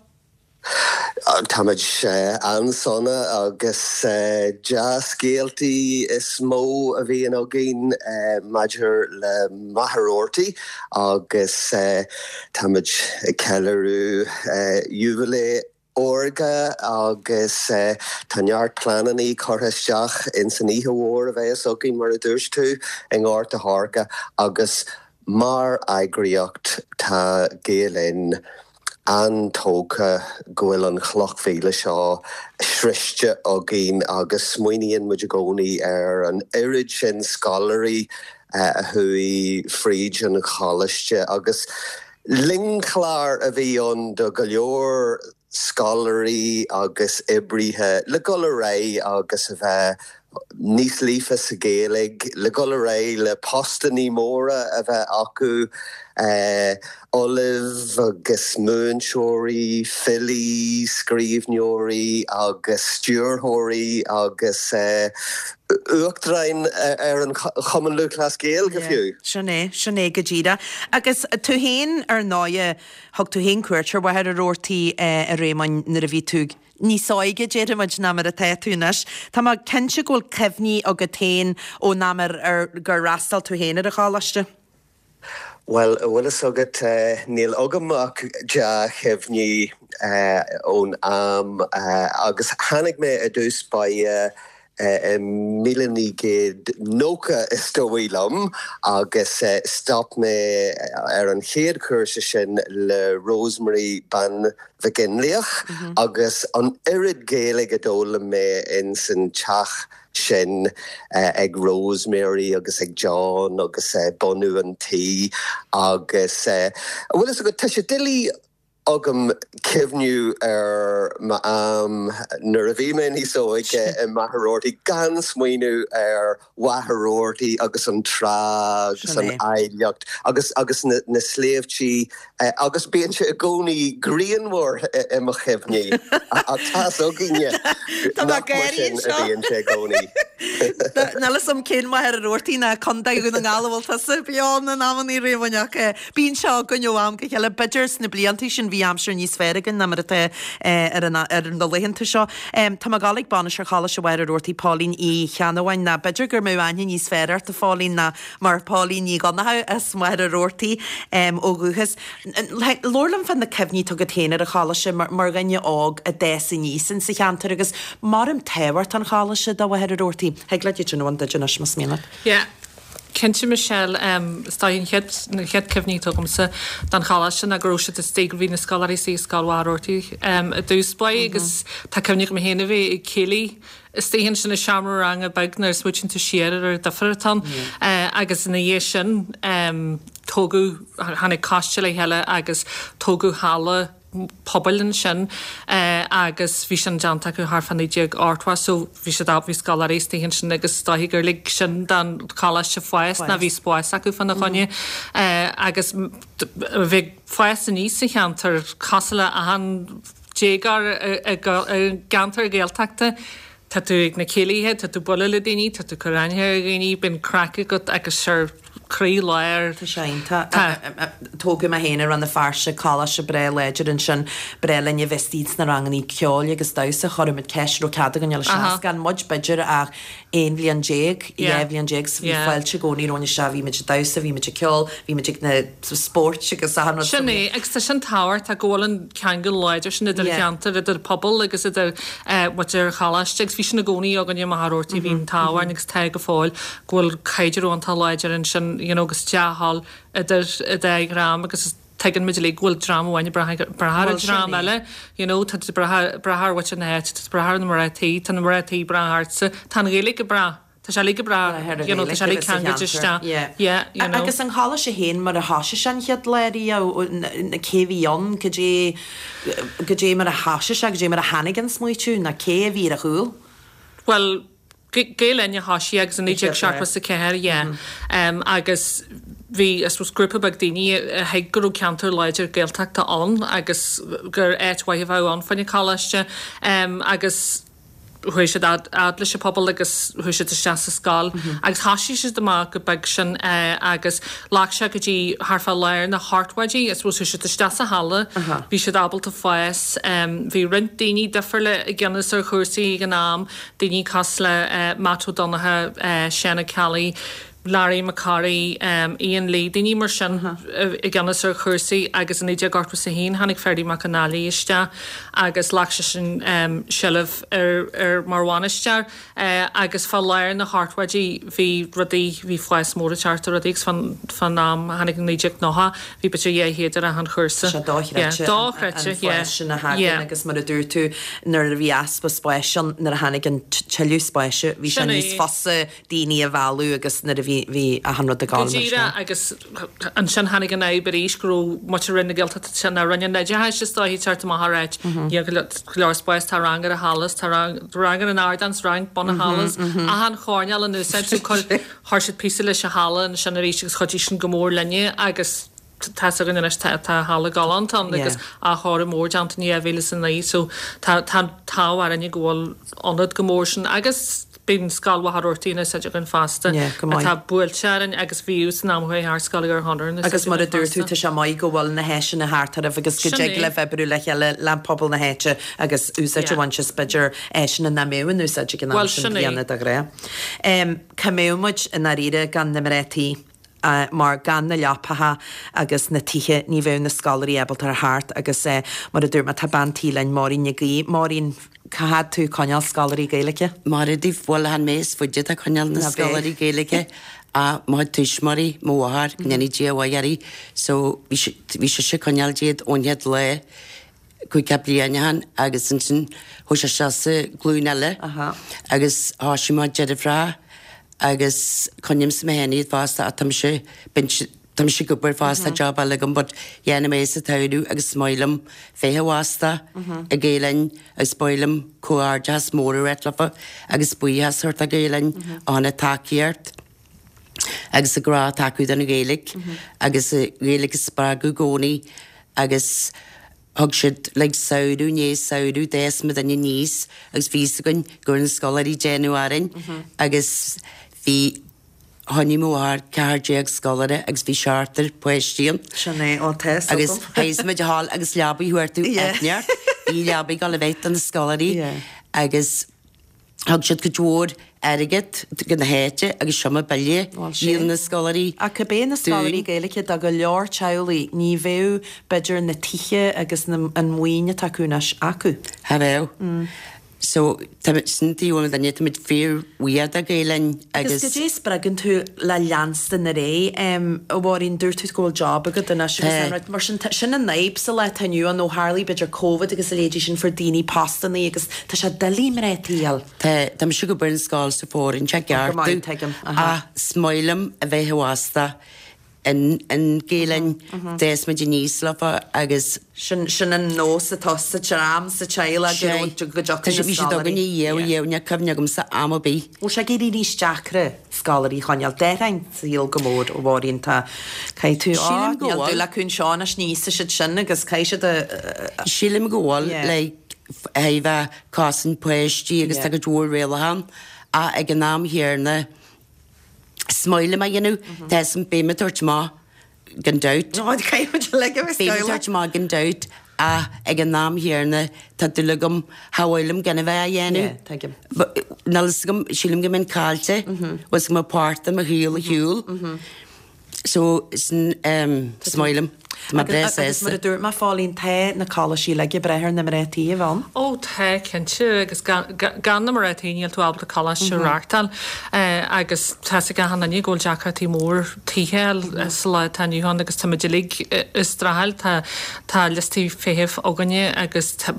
Speaker 7: Táimid an-sona agus dea-scéaltaí is mó a bhíonn againn maidir le Machaire Rabhartaigh agus táimid ag ceiliúradh jubilee órga agus tá neart pleanannaí curtha isteach ins an oíche mhór a bheas againn mar a dúirt tú i nGort a' Choirce agus mar eagraíocht tá Gael Linn an-tógtha go bhfuil an chloch mhíle seo sroichte againn agus smaoiníonn muid i gcónaí ar an oiread sin scoláirí a chuaigh fríd an choláiste agus lingchlár a bhí ann do go leor scoláirí agus oibrithe le dhul ar aghaidh agus a bheith níos líofa sa Ghaeilge, le dhul ar aghaidh le postannaí móra a bheith acu, ollaimh agus múinteoirí, filí, scríbhneoirí agus stiúrthóirí agus uachtaráin ar an Chumann Lúthchleas Gael go fiú.
Speaker 1: Sin é, sin é go díreach. Agus tú féin, ar ndóighe, thug tú féin cuairt ar Mhachaire Rabhartaigh, a Réamoinn, nuair a bhí tú níos óige, déarfaidh muid, ná mar atá tú anois. Tá mé cinnte go bhfuil cuimhní agat féin ón am ar ar gur fhreastail tú féin ar an choláiste.
Speaker 7: Bhuel, a bhfuil fhios agat, níl agam ach dea-chuimhní ón am agus tháinig mé i dtús báire. I 1990 is dóigh liom agus stop mé ar an chéad chúrsa sin le Rosemary Bean Mhic Fhionnlaoich agus an oiread Gaeilge a d'fhoghlaim mé ins an teach sin ag Rosemary agus ag John agus bunú an tí agus bhfuil fhios agat tá sé doiligh agam cuimhniú ar m'am nuair a bhí mé níos óige i Machaire Rabhartaigh gan smaoineamh ar Mhachaire Rabhartaigh agus an trá agus an áilleacht agus agus na na sléibhtí agus bíonn sé i gcónaí grianmhar i mo chuimhní ach tá's againne nach mar sin a bhíonn sé i gcónaí.
Speaker 1: Níl fhios a'm cén Machaire Rabhartaigh ná Contae Dhún na nGall a bhfuil tusa beo in amannaí Réamoinn ach Bíonn sé againn ó am go chéile. B'fhéidir sna blianta sin bhí aimsir níos fearr againn ná mar atá ar na laethanta seo. Tá mé ag dul ag bainisteoir Choláiste Mhachaire Rabhartaigh, Póilín Uí Cheannabháin, ná b'fhéidir go mbeadh aithne níos fearr ort, a Phóilín, ná mar Póilín Ní Dhonnchadha as Machaire Rabhartaigh ó dhúchas. Labhair liom fá na cuimhní atá agat féin ar an choláiste mar dhuine óg a d'fhás aníos insa cheantar agus maram tábhacht an choláiste do Mhachaire Rabhartaigh. Thig leat iad sin a bhaint duit anois más mian leat.
Speaker 8: Yeah. Cinnte Michelle, is dóigh an chéad, na chéad cuimhní atá agamsa don choláiste ná go raibh siad istigh, go bhí na scoláirí istigh i Scoil Mhachaire Rabhartaigh i dtús báire agus tá cuimhne agam féin a bheith ag céilí istigh ansin i seomra ranga beag nuair a smaoitíonn tú siar ar an difear atá ann agus ina dhiaidh sin tógadh, tháinig coiste le chéile agus tógadh halla pobail ansin agus bhí sin déanta acu thart fá 1980 so bhí siad bhí scoláirí istigh ansin agus is dóichí gur lig sin don choláiste fás ná bhí spás acu fána choinne agus bhí fás aníos sa cheantar cosúil le achan déagóir i gceantar Gaeltachta. Tá tú ag na céilithe, tá tú ag bualadh le daoine, tá tú ag cur aithne ar dhaoine, bíonn craic agat agus sure croí lár.
Speaker 1: Tá sé iontach. Tá. Tógadh mé féin i Rann na Feirste, coláiste breá láidir ansin. Breá linn a bheith istigh sna rangannaí ceoil agus damhsa. Chuir muid ceist raibh cead againn dul isteach. Gan muid b'fhéidir ach 11 bhliain, 12 bhliain so bhí fáilte i gcónaí romhainn isteach. Bhí muid ag damhsa, bhí muid ag ceol, bhí muid ag na spóirt agus achan rud.
Speaker 8: Sin é, agus tá sin tábhachtach go bhfuil an ceangal láidir sin idir cheantar, idir pobal agus idir muintir an choláiste agus bhí sin i gcónaí againn i Machaire Rabhartaigh, bhí an t-ádh orainn agus tá go fóill go bhfuil caidreamh iontach láidir ansin you know agus dea-thoil idir an dá dhream agus tuigeann muid uilig go bhfuil dream amháin ag brath ar an dream eile you know tá tú ag brath ar mhuintir na háite, tá tú ag brath ar na mná tí, tá na mná tí ag brath ortsa, tá an Ghaeilge ag brath. Tá sé uilig ag brath, you know, tá sé uilig ceangailte isteach. Yeah, you know.
Speaker 1: Agus an choláiste féin mar a thoisigh sé an chéad lá riamh, cé a bhí ann, cad é, cad é mar a thoisigh sé, cad é mar a tháinig an smaoitiú, nó cé a bhí ar a chúl?
Speaker 8: Bhuel, Gael Linn a thoisigh agus i 1974, yeah. Agus bhí, I suppose, grúpa beag daoine a thuig go raibh ceantar láidir Gaeltachta ann agus gur áit mhaith a bheadh ann fá choinne coláiste. Agus chuaigh siad fhad leis an pobal agus chuaigh siad isteach sa scoil agus thoisigh siad amach go beag sin agus ghlac sé go dtí thart fá lár na hochtóidí, I suppose chuaigh siad isteach sa halla, bhí siad ábalta fás, bhí roinnt daoine difriúla i gceannas ar chúrsaí ag an am, daoine cosúil le Matt Ó Donnchadha, Seán Ó Ceallaigh, Larry Mac Corraidh, Ian Lee, daoine mar sin i gceannas ar chúrsaí agus i 1981 tháinig Ferdie Mac Con Ailí isteach agus ghlac seisean seilbh ar mar bhainisteoir agus fá lár na hochtóidí bhí rudaí, bhí fás mór ag teacht ar rudaí agus fán am a tháinig 1990 bhí b'fhéidir 200 ar achan chúrsa.
Speaker 1: Sé dochreidte an fás sin a thagann agus mar a dúirt tú nuair a bhí easpa spáis ann nuair a tháinig an tuilleadh spáis bhí sé níos fusa daoine a mhealladh agus nuair a bhí, bhí achan rud ag
Speaker 8: gabháil mar sin. Go díreach agus ansin tháinig an fhadhb arís go raibh muintir Roinn na Gaeltachta sin, nó Roinn an Oideachais is dóichí teacht amach ag ráit níl go leor spáis, tá rang ar an halla, tá rang, rang ar an ardán, rang bun an halla, achan choirnéal in úsáid so chuir siad píosa leis an halla ansin arís agus chuidigh sin go mór linne agus tá's againn anois tá tá halla galánta ann agus athchóiriú mór déanta in 2009 so tá tá an t-ádh orainne go bhfuil ionad chomh mór sin agus bíonn Scoil Mhachaire Rabhartaigh in úsáid againn fosta atá buailte orainn agus bhíodh san am a chuaigh thart Scoil Ghearr Chonaire in úsáid
Speaker 1: Agus mar a dúirt tú tá sé maith go bhfuil na háiseanna thart oraibh agus go dtig libh oibriú le chéile le pobal na háite agus úsáid a bhaint as b'fhéidir áiseanna nach mbeadh in úsáid ag an am sin bliana de ghnáth. Cá mbeadh muid i ndáiríre gan na mná tí? mar gan na leapacha agus na tithe ní bheadh na scoláirí ábalta a theacht agus mar a dúirt mé tá bean tí linn, Máirín Nic Aoidh. Máirín. Cá fhad tú ag coinneáil scoláirí Gaeilge?
Speaker 9: Mairfidh daoibh, bhuel chan mé is faide atá ag coinneáil na scoláirí Gaeilge ach mo chuid tuismitheoirí, mo mháthair, go ndéanaí Dia a mhaith uirthi, so bhí bhí sise ag coinneáil díot ón chéad lá cúig bliain ó shin agus ansin chuaigh sé isteach sa glúin eile agus thoisigh mo deirfiúr agus coinnímse mé féin iad fosta ach tá mise, tá mise ag obair fosta, job eile agam but dhéanfaidh mé sa tsamhradh agus is maith liom bheith i bhfostach i Gael Linn agus ba mhaith liom comhghairdeachas mór a ráit leofa agus buíochas a thabhairt do Gael Linn as an tacaíocht agus an grá atá acu don Ghaeilge agus an Ghaeilge a spreagadh i gcónaí agus Thug siad like samhradh i ndiaidh samhradh d'fhás muidinne aníos agus bhí fhios againn go raibh na scoláirí ag déanamh orainn agus bhí choinnigh mo mháthair 14 scoláire agus bhí seachtar páistí ann.
Speaker 1: Sin é, ó tá fhios
Speaker 9: Agus agam. théis muid a ghabháil agus leabaidh a thabhairt Yeah. Bhí leabaidh ag dul a bheith do na scoláirí
Speaker 1: Yeah.
Speaker 9: agus Thug siad cuid mhór airgead go na háite agus seomra baile dhíol na scoláirí
Speaker 1: Ach cibé na scoláirí Gaeilge do go leor teaghlaigh ní bheadh b'fhéidir na tithe agus na an mhaoin atá acu anois acu.
Speaker 9: Cha bheadh. So tá sin taobh amuigh duine táimid fíor bhuíoch do Gael Linn
Speaker 1: Agus
Speaker 9: agus.
Speaker 1: goidé a spreagann tú le leanstan ar aghaidh? A Mháirín, dúirt tú go bhfuil job agat anois agus an rud mar sin, sin an fhadhb sa lá atá inniu ann ó tharlaigh b'fhéidir Covid agus a leithéidí sin fuair daoine postannaí agus tá sé doiligh mná tí a fháil.
Speaker 9: Tá, tá mise ag obair in scoil sa Fóirithint i
Speaker 1: Go maith, tuigim, aha.
Speaker 9: Ach is maith liom a bheith i bhfostach in, in Gael Linn, d'fhás muid aníos leofa agus.
Speaker 1: Sin, sin an nós atá sa dream, sa teaghlach go raibh, go
Speaker 9: dtiocfaidh na scoláirí. Bhí siad againne dhéanamh, dhéanamh, níl cuimhne agamsa am ar bith.
Speaker 1: Bhfuil sé ag éirí níos deacra scoláirí a choinneáil? D'athraigh an saol go mór, a Mháirín, tá, caithfidh tú, á,
Speaker 9: Sílim go
Speaker 1: níl
Speaker 9: bhfuil.
Speaker 1: dúil acu anseo anois, ní íosfaidh siad sin agus caithfidh siad a.
Speaker 9: Sílim go bhfuil,
Speaker 1: Yeah.
Speaker 9: like, a bheith cosaint páistí agus
Speaker 1: Yeah.
Speaker 9: tá cuid mhór rialacha ann ach ag an am chéanna is maith liom a dhéanamh, tá 'fhios a'm beidh mé ag tabhairt amach gan dabht.
Speaker 1: Nó caithfidh muid uilig a bheith
Speaker 9: Beidh mé ag tabhairt amach gan dabht ach ag an am chéanna tá dúil agam, cha mhaith liom gan a bheith á dhéanamh.
Speaker 1: Yeah, tuigim.
Speaker 9: Níl 'fhios agam, sílim go mbeinn caillte, bhfuil 'fhios agam páirt de mo shaol a shiúl. So, sin, is maith liom. Tá mé breá
Speaker 1: Agus
Speaker 9: sásta.
Speaker 1: mar a dúirt mé, a Phóilín, tá na coláistí uilig ag brath ar na mná tí a bheith ann.
Speaker 8: Ó tá, cinnte, agus gan na mná tí níl tú ábalta coláiste a reáchtáil. Agus tá 'fhios ag achan duine go bhfuil deacrachtaí mór tithe a fháil sa lá atá inniu ann agus tá muid uilig ag streachailt, tá tá liostaí feithimh againne agus tá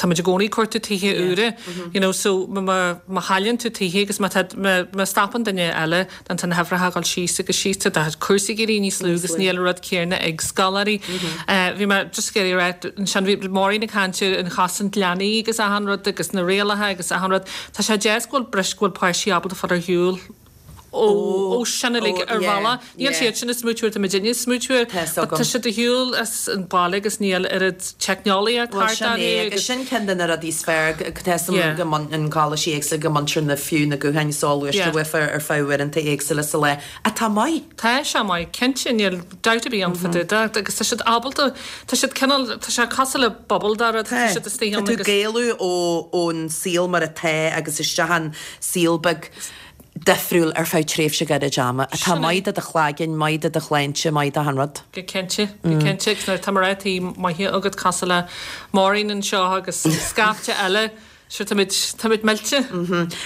Speaker 8: muid i gcónaí ag cuartú tithe úra, you know, so má chailleann tú tithe agus má tá má stopann duine eile Tá na huimhreacha ag dul síos agus síos, tá cúrsaí ag éirí níos lú agus níl an rud céanna ag scoláirí. Bhí mé just ag iarraidh a rá ansin, bhí Máirín ag caint ar an chosaint leanaí agus achan rud agus na rialacha agus achan rud. Tá sé deas go bhfuil bris, go bhfuil páistí ábalta fáil ar shiúl ó sin uilig ar bhealach. Níl siad sin ag smaoitiú air, tá muidinne ag smaoitiú air, but tá siad ar shiúl as an baile agus níl oiread teicneolaíocht
Speaker 1: Bhuel
Speaker 8: thart
Speaker 1: sin é,
Speaker 8: orthu
Speaker 1: agus
Speaker 8: agus.
Speaker 1: sin ceann de na rudaí is fearr, tá 'fhios a'm go mbaineann coláistí éagsúla, go mbaintear na fiú na gutháin soghluaiste uafa ar feadh uaireanta éagsúla sa lá, atá maith.
Speaker 8: Tá sé maith, cinnte, níl dabht ar bith ann fá dtaobh de, agus tá siad ábalta, tá siad cineál, tá sé cosúil le bubble de rud, tá siad istigh
Speaker 1: Tá
Speaker 8: ann
Speaker 1: tú ag
Speaker 8: agus.
Speaker 1: éalú ón saol mar atá agus isteach in saol beag difriúil ar feadh tréimhse gairid ama, atá maith do do chlaigeann, maith do do shláinte, maith d'achan rud.
Speaker 8: Go cinnte, go cinnte, agus nuair atá mná tí maithe agat cosúil le Máirín anseo agus scaifte eile, sure táimid, táimid millte.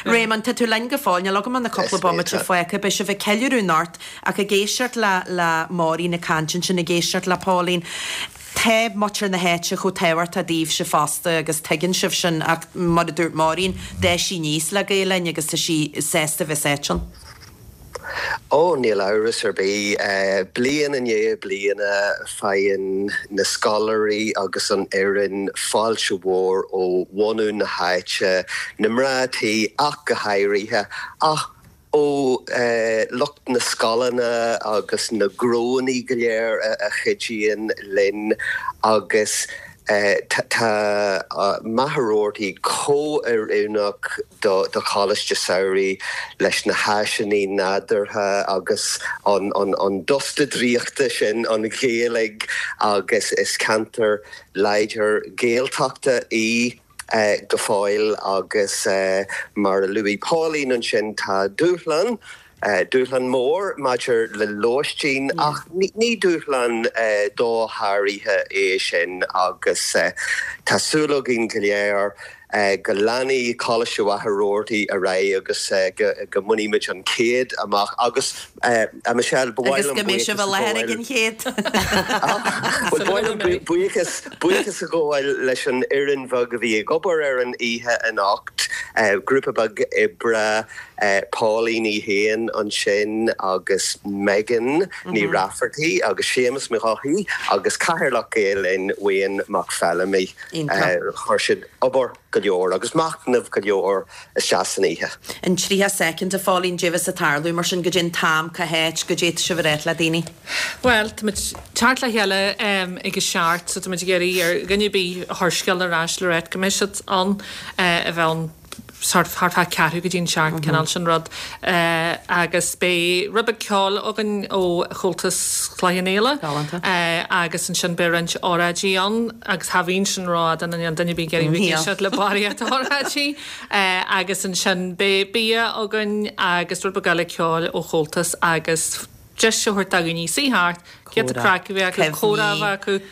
Speaker 1: Réamonn, tá tú linn go fóill, níl agam ach na cúpla bomaite fágtha, beidh sibh ag ceiliúradh anocht ach ag éisteacht le, le Máirín ag caint ansin, ag éisteacht le Pauline, tá muintir na háite chomh tábhachtach daoibhse fosta agus tuigeann sibh sin ach mar a dúirt Máirín, d'fhás sí aníos le Gael Linn agus tá sí sásta bheith sáite ann.
Speaker 7: Ó, níl amhras ar bith. Bliain i ndiaidh bliana faigheann na scoláirí agus an fhoireann fáilte mhór ó bhunadh na háite, na mná tí ach go háirithe, ach ó lucht na scoileanna agus na gnóanna go léir a chuidíonn linn agus tá Machaire Rabhartaigh chomh oiriúnach do choláiste samhraidh leis na háiseanna nádúrtha agus an dusta draíochta sin, an Ghaeilge agus is ceantar láidir Gaeltachta í go fóill agus mar a luaigh Pauline ansin tá dúshlán. Dúshlán mór maidir le lóistín ach ní dúshlán dosháraithe é sin agus tá súil againn go léir go leanfaidh Coláiste Mhachaire Rabhartaigh ar aghaidh agus go mbainfimid an chéad amach agus a Michelle, ba mhaith
Speaker 1: Agus
Speaker 7: liom
Speaker 1: go mbeidh sibh
Speaker 7: buíochas
Speaker 1: i
Speaker 7: a
Speaker 1: láthair ag
Speaker 7: ghabháil
Speaker 1: an chéad.
Speaker 7: Bhuel, ba mhaith liom buíochas buíochas a ghabháil leis an fhoireann bheag a bhí ag obair ar an oíche anocht, grúpa beag oibre, Pauline í féin ansin agus Megan Ní Raifeartaigh agus Séamus Mac Eochaidh agus Cathaoirleach Gael Linn, Wayne Mac Feilimí. Chuir siad obair go leor agus machnamh go leor isteach san oíche.
Speaker 1: In 30 soicind, a Phauline, caidé bheas ag tarlú, mar sin, goidé an t-am, cá háit, goidé tá sibh ag ráit le daoine.
Speaker 8: Bhuel, táimid teacht le chéile ag a seacht so táimid ag iarraidh ar dhuine ar bith a chuir scéal ar ais le ráit go mbeidh siad ann, a bheith ann sort thart fá ceathrú go dtí an seacht, cineál sin rud. Agus beidh rud beag ceoil againn ó Chomhaltas Chloich Cheann Fhaola.
Speaker 1: Galánta.
Speaker 8: Agus ansin beidh roinnt óráidí ann agus cha bhíonn sin rófhada nó níl duine ar bith ag iarraidh bheith ag éisteacht le barraíocht óráidí. Agus ansin beidh bia againn agus rud beag eile ceoil ó Chomhaltas agus deis a thabhairt do dhaoine suí thart, giota craic a bheith acu, comhrá a bheith acu.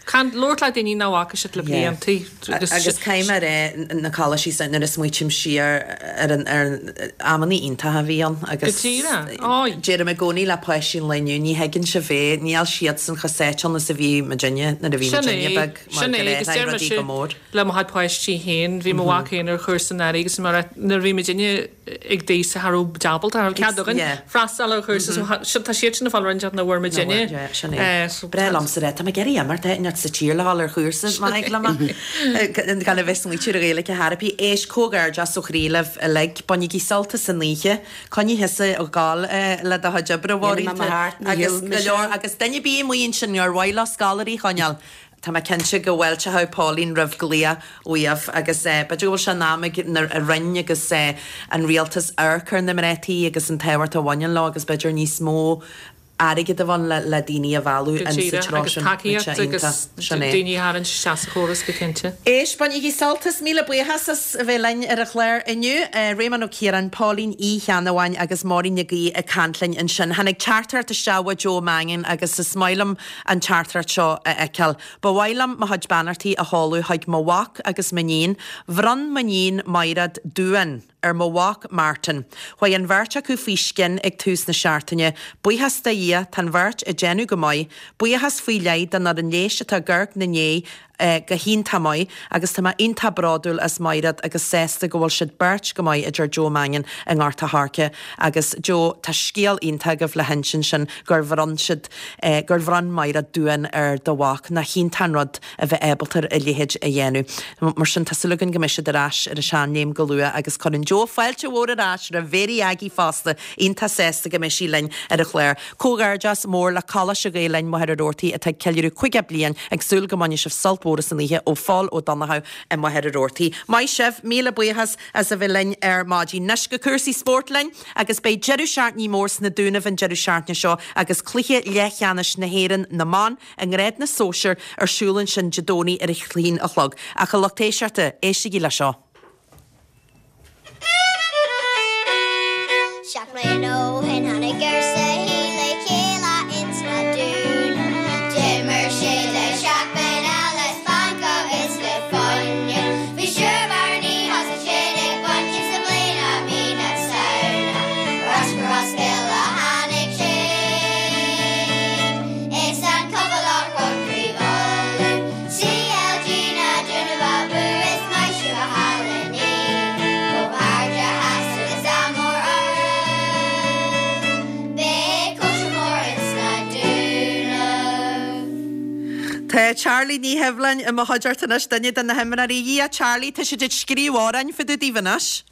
Speaker 8: Caint, labhairt le daoine nach bhfaca siad le blianta
Speaker 1: agus. Agus caithfidh mé a rá, na coláistí seo, nuair a smaoitím siar ar an, ar an, amanna iontacha a bhí ann agus.
Speaker 8: Go díreach, á.
Speaker 1: Deirim i gcónaí le páistí an lae inniu, ní thuigeann sibh é, níl siadsan chomh sáite ann is a bhí muidinne nuair a bhí muidinne beag mar
Speaker 8: Sin
Speaker 1: go
Speaker 8: é, agus
Speaker 1: raibh
Speaker 8: deir
Speaker 1: rudaí
Speaker 8: mise
Speaker 1: go mór.
Speaker 8: le mo chuid páistí féin, bhí mo mhac féin ar chúrsa anuraidh agus mar a, nuair a bhí muidinne, ag d'aois cha raibh muid ábalta, cha raibh cead againn freastal ar chúrsa so tá siad sin ag fáil roinnt nach bhfuair muidinne.
Speaker 1: Sin é. Breá liomsa a rá, tá mé ag iarraidh imeacht áit inteacht sa tír le dhul ar chúrsa, má thig liom é. Gan a bheith smaoitiú ar Ghaeilge ar chor ar bith. Éist, comhghairdeas ó chroí libh uilig. Bainigí sult as an oíche. Coinnigh thusa ag gabháil le do chuid oibre, a Mháirín. Agus go leor, agus duine ar bith amuigh ansin ar mhaith leo scoláirí a choinneáil, Tá mé cinnte go bhfáilteoidh Pauline roimh glaoch uaibh agus b'fhéidir go bhfuil sé in am ag an Roinn agus an Rialtas amharc ar na mná tí agus an tábhacht a bhaineann leo agus b'fhéidir níos mó airgead a bheith ann le daoine a mhealladh
Speaker 8: Go
Speaker 1: in sa
Speaker 8: díreach,
Speaker 1: treo
Speaker 8: agus
Speaker 1: sin.
Speaker 8: tacaíocht agus
Speaker 1: Sin é.
Speaker 8: daoine a tharraingt isteach sa chóras go cinnte.
Speaker 1: Éist, bainigí sult as, míle buíochas as a bheith linn ar an chlár inniu. Réamonn Ó Ciaráin, Pauline Uí Cheannabháin agus Máirín Nic Aoidh ag caint linn ansin. Tháinig teachtaireacht isteach ó Joe Mangan agus is maith liom an teachtaireacht seo a fheiceáil. Ba mhaith liom mo chuid beannachtaí a sheoladh chuig mo mhac agus m'iníon. Bhronn m'iníon Maighread duán ar mo mhac Martin. Chuaigh an bheirt acu faoi scian ag tús na seachtaine. Buíochas do Dhia, tá an bheirt ag déanamh go maith. Buíochas faoi leith don fhoireann leighis atá ag amharc ina ndiaidh go hiontach maith agus tá mé iontach bródúil as Maighread agus sásta go bhfuil siad beirt go maith, a deir Joe Mangan i nGort a' Choirce. Agus Joe, tá scéal iontach agaibh le hinsint ansin gur bhronn siad, gur bhronn Maighread duán ar do mhac. Nach iontach an rud a bheith ábalta a leithéid a dhéanamh. Mar sin, tá súil againn go mbeidh siad ar ais ar an seanléim go luath agus cuireann Joe fáilte mhór ar ais roimh Mhéirí Aggie fosta, iontach sásta go mbeidh sí linn ar an chlár. Comhghairdeas mór le Coláiste Ghael Linn Machaire Rabhartaigh atá ag ceiliúradh 50 bliain, ag súil go mbainfidh sibh sult mhór as an oíche ó Phól Ó Donnchadha i Machaire Rabhartaigh. Maith sibh, míle buíochas as a bheith linn ar maidin. Anois go cúrsaí spóirt linn agus beidh deireadh seachtaine mór sna Dúnaibh an deireadh seachtaine seo agus cluiche leathcheannais na hÉireann na mban i ngrád na sóisear ar siúl ansin Dé Domhnaigh ar a haon a chlog. Ach a lucht éisteachta, éistigí le seo.
Speaker 5: 7 mbliana ó shin tháinig fórsa le chéile ins na Dúnaibh. D'imir siad le seachtain eile splanc agus le fuinneamh. Bhí Siúr Barney thosaigh siad ag baint sa mbliain i mí na Samhna. Ar ais go Ros Goill a tháinig siad. Is an cupa láithreach Craobh Uladh. CLG na Dúnaibh abú is maith sibh a chailíní. Comhghairdeas agus ádh mór oraibh. Beidh cóisir mór ins na Dúnaibh.
Speaker 1: Tá Charlie Ní Sheibhleáin i mo chuideachta anois, duine de na himreoirí. A Dhia, Charlie, tá siad ag scríobh amhráin fá dtaobh daoibh anois.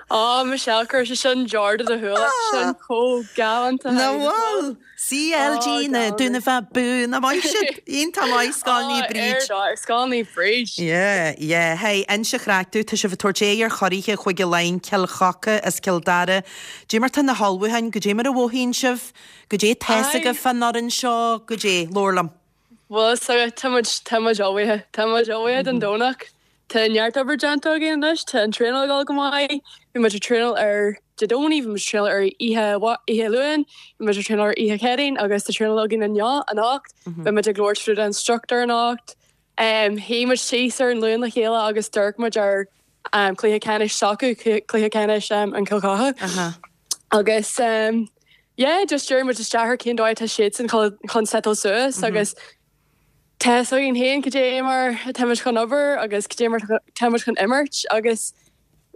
Speaker 10: Á, Michelle, chuir sé sin deor do do shúil, sin chomh galánta.
Speaker 1: Nach bhfuil? CLG na Dúnaibh abú, nach maith siad? Iontach maith, Scoil Naomh Bríd.
Speaker 10: Ar Scoil Naomh Bríd.
Speaker 1: Yeah, yeah. Hey, inis an chraic domh, tá sibh ag tabhairt aghaidh ar churaithe Chúige Laighean, Cill Choca as Cill Dara. Goidé mar tá na hullmhúcháin, goidé mar a mhothaíonn sibh, goidé tá's agaibh fán fhoireann seo, goidé, labhair liom.
Speaker 10: Bhuel, tá muid, tá muid ullmhaithe, tá muid ullmhaithe don Domhnach. Tá neart obair déanta againn anois, tá an traenáil ag dul go maith, bhí muid ag traenáil ar Dé Domhnaigh, bhí muid ag traenáil ar oíche oíche Luain, bhí muid ag traenáil ar oíche Chéadaoin agus tá traenáil againn inniu, anocht. Beidh muid ag labhairt fríd an struchtúr anocht. Shuigh muid síos ar an Luan le chéile agus d'amharc muid ar cluiche ceannais s'acu, cluiche ceannais an Chill Chartha. Agus yeah, just dhírigh muid isteach ar cén dóigh atá siadsan chun settleáil suas agus Tá a fhios againn féin cad é mar atáimid chun obair agus cad é mar atáimid chun imirt agus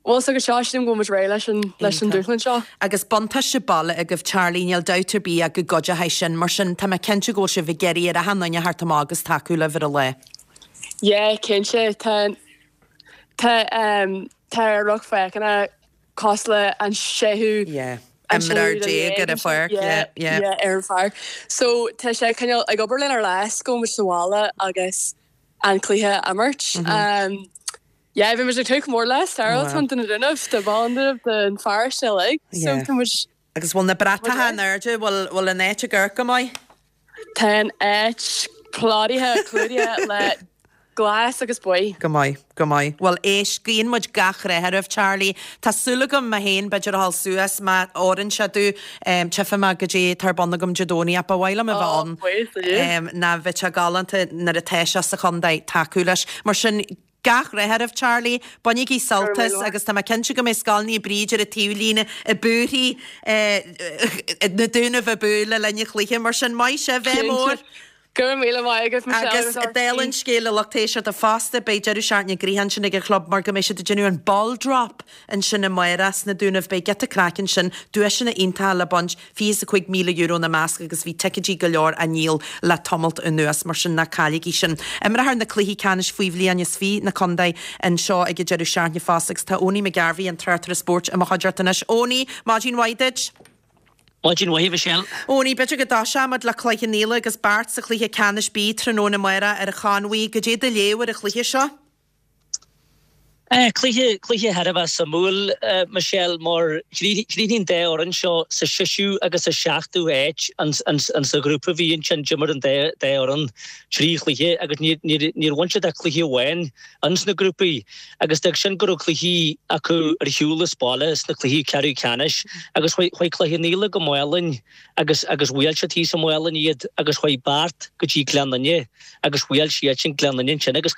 Speaker 10: bhfuil fhios agat seo, sílim go bhfuil muid réidh leis an leis an dúshlán seo.
Speaker 1: Agus buntáiste baile agaibh Charlie, níl dabht ar bith ach go gcuideoidh sin. Mar sin, tá mé cinnte go bhfuil sibh ag iarraidh ar achan nduine theacht amach agus tacú libh ar an lá.
Speaker 10: Yeah, cinnte. Tá tá tá ár lucht féachana cosúil le an séú
Speaker 1: Yeah. An
Speaker 10: imreoir
Speaker 1: déag ar an pháirc, yeah, yeah.
Speaker 10: Yeah, ar an pháirc. So tá sé cineál ag obair lenár leas go bhfuil muid sa bhaile agus an cluiche a imirt. Um, yeah, bhí muid ag tnúth go mór leis, Sarah, tá do na Dúnaibh, do Bhaile an Dúnaibh, don pharóiste uilig. So
Speaker 1: Yeah.
Speaker 10: tá muid
Speaker 1: Agus bhfuil na bratacha in airde, bhfuil bhfuil an áit ag amharc go maith?
Speaker 10: Tá an áit plódaithe, clúdaithe le glas agus buí.
Speaker 1: Go maith, go maith. Bhuel, éist, guíonn muid gach rath oraibh, Charlie. Tá súil agam mé féin, b'fhéidir a ghabháil suas, má oireann sé domh, tchífidh mé goidé atá ar bun agam Dé Domhnaigh ach ba mhaith liom a bheith ann.
Speaker 10: Buíochas le Dia.
Speaker 1: Ná bheadh sé galánta nuair atá sé sa chontae tacú leis. Mar sin, Gach rath oraibh Charlie, bainigí sult as agus tá mé cinnte go mbeidh Scoil Naomh Bríd ar an taobhlíne ag búirthigh na Dúnaibh abú le linn an chluiche, mar sin maith sibh, ádh mór!
Speaker 10: Go raibh míle maith agat
Speaker 1: Michelle
Speaker 10: agus
Speaker 1: Agus dála an scéil a lucht éisteachta fosta, beidh deireadh seachtaine gnoitheach ansin ag an chlub mar go mbeidh siad ag déanamh an ball drop ansin amárach sna Dúnaibh, beidh giota craic ansin, duaiseanna iontacha le baint. €25,000 ina measc agus bhí ticéidí go leor á ndíol le tamalt anuas, mar sin ná cailligí sin. Imreofar na cluichí ceannais faoi bhliain is 20 na contae anseo ag an deireadh seachtaine fosta agus tá Owenie McGarvey, an tráchtaire spóirt, i mo chuideachta anois. Owenie, maidin mhaith duit.
Speaker 11: Maidin mhaith, a Mhichelle.
Speaker 1: Owenie, b'fhéidir go dtoiseoidh muid le Cloich Cheann Fhaola agus Beart sa chluiche ceannais B tráthnóna amárach ar an Chonmhaigh. Goidé do léamh ar an chluiche seo?
Speaker 11: Cluiche, cluiche thar a bheith suimiúil, Michelle, mar chríochnaigh an dá fhoireann seo sa seisiú agus sa seachtú háit sa ghrúpa a bhí ansin. D'imir an dá fhoireann trí chluiche agus níor bhain siad ach cluiche amháin ins na grúpaí agus d'fhág sin go raibh cluichí acu ar shiúl as baile sna cluichí ceathrú ceannais agus chuaigh Cloich Cheann Fhaola go Málainn agus agus bhuail siad thíos i Málainn iad agus chuaigh Beart go dtí Gleann Fhinne agus bhuail siadsan Gleann Fhinne ansin agus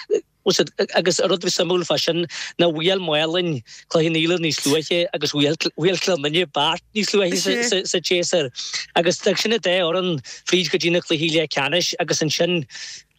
Speaker 11: Agus an rud a bhí suimiúil fá sin ná bhuail Málainn Cloich Cheann Fhaola níos luaithe agus bhuail Gleann Fhinne Beart níos luaithe sa tséasúr. Agus d'fhág sin an dá fhoireann fríd go dtí na cluichí leathcheannais agus ansin,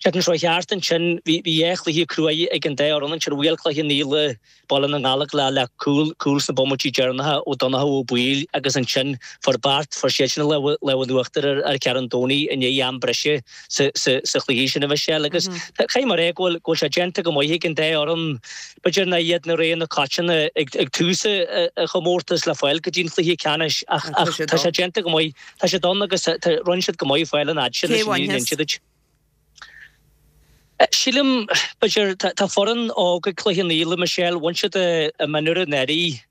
Speaker 11: seachtain seo thart ansin, bhí dhá chluiche cruaidh ag an dá fhoireann ansin. Bhuail Cloich Cheann Fhaola Baile na nGallach le le cúl, cúl sna bomaití deireanacha ó Donncha Ó Baoill agus ansin fuair Beart, fuair siadsan an lámh lámh in uachtar ar ar Cheathrú an Domhnaigh i ndiaidh am breise sa sa sa chluiche sin a Mhichelle agus caithfidh mé a rá go bhfuil go bhfuil sé déanta go maith ag an dá fhoireann, b'fhéidir nach iad na rogha na coitianta ag ag tús an chomórtais le fáil go dtí an chluiche ceannais ach ach tá sé déanta go maith, tá siad ann agus tá rinne siad go maith fáil an fhad sin
Speaker 1: Cé
Speaker 11: leis an
Speaker 1: bhainfeas?
Speaker 11: inse duit. Sílim, b'fhéidir, tá foireann óg ag Cloich Cheann Fhaola, Michelle, bhain siad a mionúir anuraidh,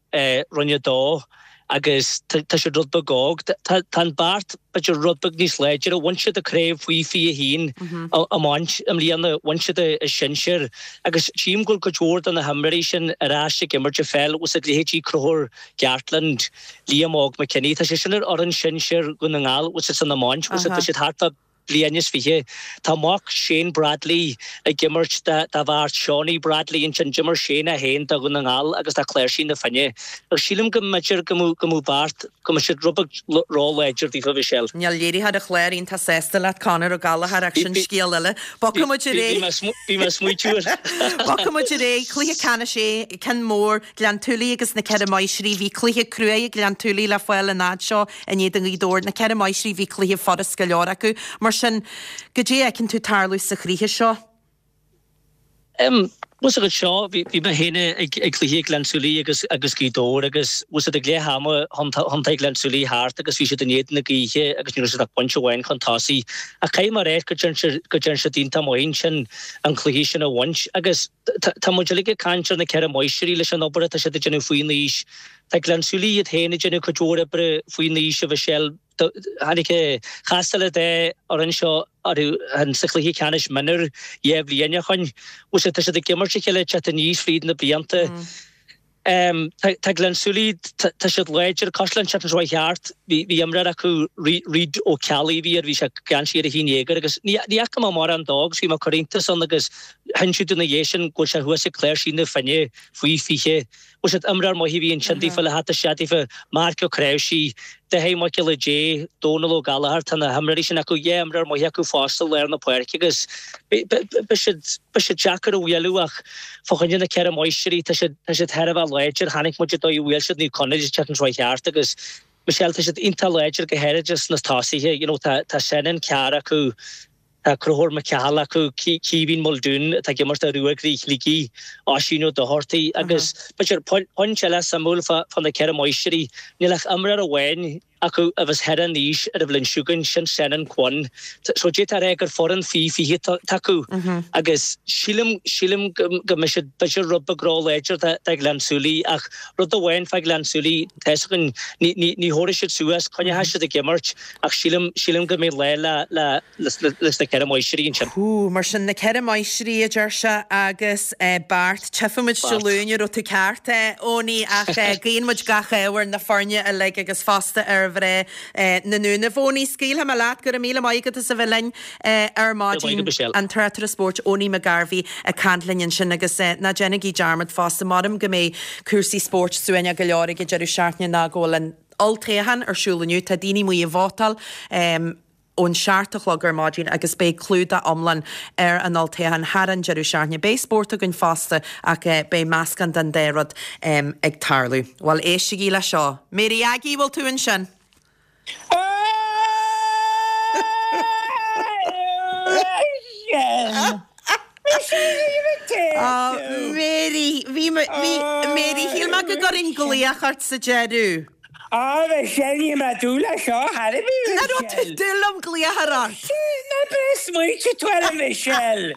Speaker 11: Roinn 2, agus tá siad rud beag óg. Tá an Beart, b'fhéidir, rud beag níos láidre, bhain siad an craobh faoi 21 iomáint i mbliana, bhain siad a sinsir agus tchím go bhfuil cuid mhór de na himreoirí sin ar ais ag imirt an pheil, bhfuil a fhios agat leithéidí Conchúr Gartland, Liam Óg McKinney, tá sé sin ar fhoireann sinsir Dhún na nGall, bhfuil a fhios agat san iomáint, bhfuil a fhios agat, tá siad thart fá bliain is 20. Tá mac Shane Bradley ag imirt do Bheart, Seánie Bradley ansin. D'imir Shane é féin do Dhún na nGall agus do Chláirsigh na Finne. Ach sílim go mb'fhéidir go mbeadh Beart, go mbeadh siad rud beag ró-láidir daofa, Michelle.
Speaker 1: Níl léiritheoir an chláir iontach sásta leat, Conor Ó Gallchóir, ach sin scéal eile. Bogfaidh muid ar aghaidh.
Speaker 11: Bhí mé ag smaoitiú air.
Speaker 1: Bogfaidh muid ar aghaidh. Cluiche ceannais A, ceann mór, Gleann tSúilí agus na Ceithre Máistrí. Bhí cluiche cruaidh ag Gleann tSúilí le fáil an fhad seo. In éadan Ghaoth Dobhair, na Ceithre Máistrí, bhí cluiche furast go leor acu. Mar sin, goidé a fheiceann tú tarlú sa chluiche seo?
Speaker 11: Em, bhfuil a fhios agat seo, bhí, bhí mé féin ag, ag cluiche Gleann tSúilí agus, agus Gaoth Dobhair agus bhfuil a fhios agat ag leath ama thiontaigh Gleann tSúilí thart agus bhí siad in éadan na gaoithe agus ní raibh siad ach pointe amháin chun tosaigh. Ach caithfidh mé a rá go dtearn siad, go dtearn siad iontach maith ansin an cluiche sin a bhaint agus tá, tá muid uilig ag caint ar na Ceithre Máistrí leis an obair atá siad ag déanamh faoin aois. Tá Gleann tSúilí iad féin ag déanamh cuid mhór oibre faoin aois a Mhichelle. Tháinig, chastáil an dá fhoireann seo orthu sa chluiche ceannais mionúir 2 bhliain ó shoin. Bhfuil siad, tá siad ag imirt a chéile ag teacht aníos fríd na blianta. Tá Gleann tSúilí, tá siad láidir, cosúil le an tseachtain seo chuaigh thart, bhí imreoir acu, Reid Ó Ceallaigh a bhí air, bhí sé geansaí ar a haon déag air agus ní fhaca mé mórán dó agus bhí mé ag cur iontas ann agus hinsíodh dom ina dhiaidh sin go bhfuil sé thuas ag Cláirsigh na Finne faoi 20. Bhfuil siad imreoir maith a bhí ansin daofa le theacht isteach daofa, Marc Ó Cnáimhsí, Dáithí Mac Giolla Dé, Dónal Ó Gallchóir, tá na himreoirí sin acu, dhá imreoir maith acu fosta i lár na páirce agus beidh siad, beidh siad deacair a bhualadh ach fá choinne na Ceithre Máistrí, tá siad, tá siad thar a bheith láidir, chonaic muid an dóigh a bhuail siad Naomh Conaill an tseachtain seo chuaigh thart agus Michelle, tá siad iontach láidir go háirid sna tosaithe, you know, tá, tá Senan Carr acu, Tá Conchúr Mac Cathal acu, Caoimhín Muldoon atá ag imirt do Ruagairí Shligigh, Oisín Ó Dochartaigh agus b'fhéidir pointe eile suimiúil fá na Ceithre Máistrí, níl ach imreoir amháin acu a bheas thar an aois ar an bhliain seo chugainn, sin Senan Quinn. So d'fhéadfá a rá gur foireann faoi 20 atá acu agus sílim, sílim go mbeidh siad b'fhéidir rud beag róláidir do Ghleann tSúilí ach rud amháin fá Ghleann tSúilí, tá fhios againn, ní, ní, ní thabharfaidh siad suas, coinneoidh siad ag imirt. Ach sílim, sílim go mbeidh lá le, le, leis na Ceithre Máistrí ansin.
Speaker 1: Hú, mar sin, na Ceithre Máistrí, a deir sé, agus Bart. Tchífidh muid Dé Luain an raibh tú ceart, Eoiní, ach guíonn muid gach ádh ar na foirne uilig agus fosta ar mhná na nDúnaibh. Eoiní, scaoilfidh mé leat, go raibh míle maith agat as a bheith linn ar maidin. An tráchtaire spóirt Eoiní McGarvey ag caint linn ansin agus ná déanaigí dearmad fosta, maram go mbeidh cúrsaí spóirt suaimhneach go leor ag an deireadh seachtaine ná go bhfuil an Olltoghchán ar siúl inniu. Tá daoine amuigh ag vótáil ón seacht a chlog ar maidin agus beidh clúdach iomlán ar an olltoghchán thar an deireadh seachtaine. Beidh spórt againn fosta ach beidh meascán den dá rud ag tarlú. Bhuel, éistigí le seo. Mary Aggie, bhfuil tú ansin? Mary, bhí, bhí, Mary, shíl mé go gcuirfinn glaoch ort sa deireadh.
Speaker 12: Á, Michelle, ní raibh mé ag dúil leis seo, thar a bheith,
Speaker 1: Nach raibh tú ag dúil liom glaoch a chur ort?
Speaker 12: Ná breith smaointe tú orm, Michelle.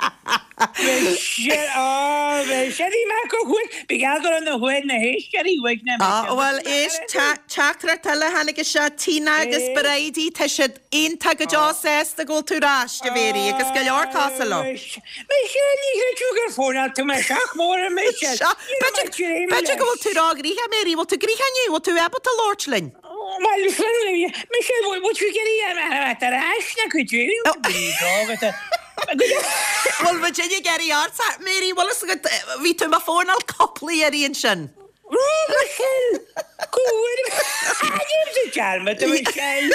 Speaker 12: Michelle, á, Michelle, bhí mé go huaigh, bhí geall go raibh na huaigh na héisteoirí uaigh na
Speaker 1: Á, bhuel, éist, teachtaireacht eile a tháinig isteach, Tina agus Bridie, tá siad iontach go deo sásta go bhfuil tú ar ais, a Mhary, agus go leor cosúil leo.
Speaker 12: Michelle, ní chreid tú gur fóineáil tú mé seach mór a Michelle.
Speaker 1: B'fhéidir go bhfuil tú róghnoitheach, Mary, bhfuil tú gnoitheach inniu, bhfuil tú ábalta labhairt linn?
Speaker 12: Bhuel, Michelle, bhfuil tú ag iarraidh a bheith ar ais na cuid
Speaker 1: Bhfuil muid ag iarraidh ort, Mary, bhfuil fhios agat, bhí tú i mo fóineáil cúpla iarraidh ansin.
Speaker 12: Michelle! Go bhfuil Déanaimse dearmad a Michelle!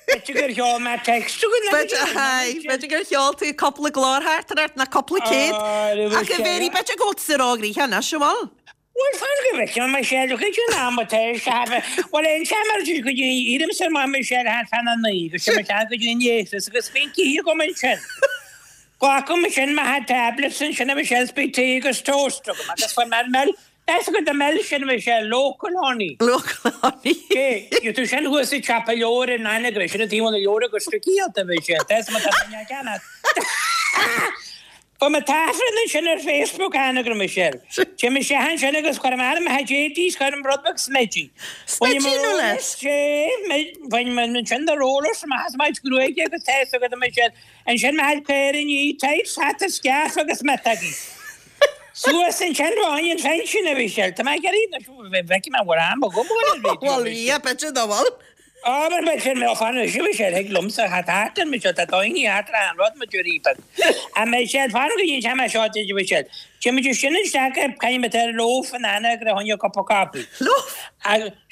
Speaker 12: B'fhéidir gur sheol mé text chugat le
Speaker 1: B'fhéidir gur sheol tú cúpla glórtheachtaireacht nó cúpla céad. Ach a Mhary, b'fhéidir go bhfuil tú róghnoitheach anois, an bhfuil?
Speaker 12: Bhuel, fan go bhfeicfidh mé Michelle, cad é an am atá ar sé? Bhuel, aon sean mar sin go dtí éirímse amach Michelle thart fána naoi agus sé mo shean go dtí an léithreas agus bíonn cith agam ansin. Glacaim ansin mo tablets ansin a Michelle is beidh tae agus toast agam agus fuair mé an mil That's good the mil sin a Michelle, local honey.
Speaker 1: Local honey.
Speaker 12: Cé, gheobhaidh tú sin thuas i siopa leabhar in Anagaire, sin an taobh na leabhar agus tú ciallta a Michelle, that's my tá Fuair mé taifead ansin ar Facebook Anagaire Michelle. Téim isteach ansin agus cuirim arm a JD 's cuirim rud beag smididh.
Speaker 1: Smididh nó leis?
Speaker 12: Bhain mé ansin na rollers amach as mo chuid gruaige agus tá fhios agat a Michelle. Ansin mo chuid caoirní, tights, hata, scaif agus miotógaí. Suas ansin fá choinne an phinsin a Mhichelle. Tá mé ag iarraidh anois, bhfeicfidh mé an bhfuil am agam a dhul ar raidió.
Speaker 1: Bhuel, yeah, b'fhéidir nach bhfuil.
Speaker 12: Á, mar b'fhéidir mé fan anois a Mhichelle, thig liomsa a thart ar Michelle, tá daoine thart ar achan rud, mo deoraí beag. A Michelle, fan go dtí an t-am seo duit a Mhichelle. Téimid sin isteach ar caithfidh muid ar loaf in Anagaire fá choinne cupa caife.
Speaker 1: Loaf?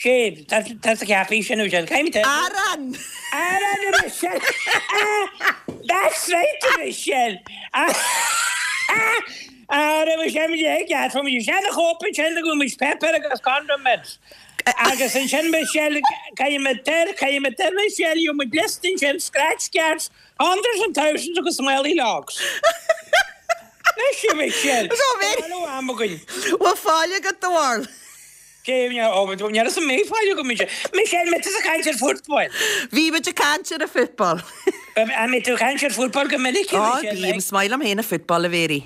Speaker 12: Sé, tá sa cheapaí sin Michelle. Caithfidh muid
Speaker 1: Arán!
Speaker 12: Arán a Michelle! That's right a Michelle! Ara Michelle, muid ag gearr, fuair muid isteach na chóip ansin go bhfuil muid pepper agus condiments. Agus ansin Michelle, caithfidh muid ar, caithfidh muid ar Michelle, gheobhaidh muid liosta ansin, scratch cards, hundreds and thousands agus smelly logs. Anois a Michelle, tá am againn.
Speaker 1: Bhfuil fáil agat do bharúil?
Speaker 12: Ní raibh mé fáil agam Michelle. Michelle, mé tusa ag caint ar football.
Speaker 1: Bhí muid ag caint ar an football.
Speaker 12: An mbíonn tú ag caint ar football go minic?
Speaker 1: Ó, bím, is maith liom féin an football, a Mhéirí.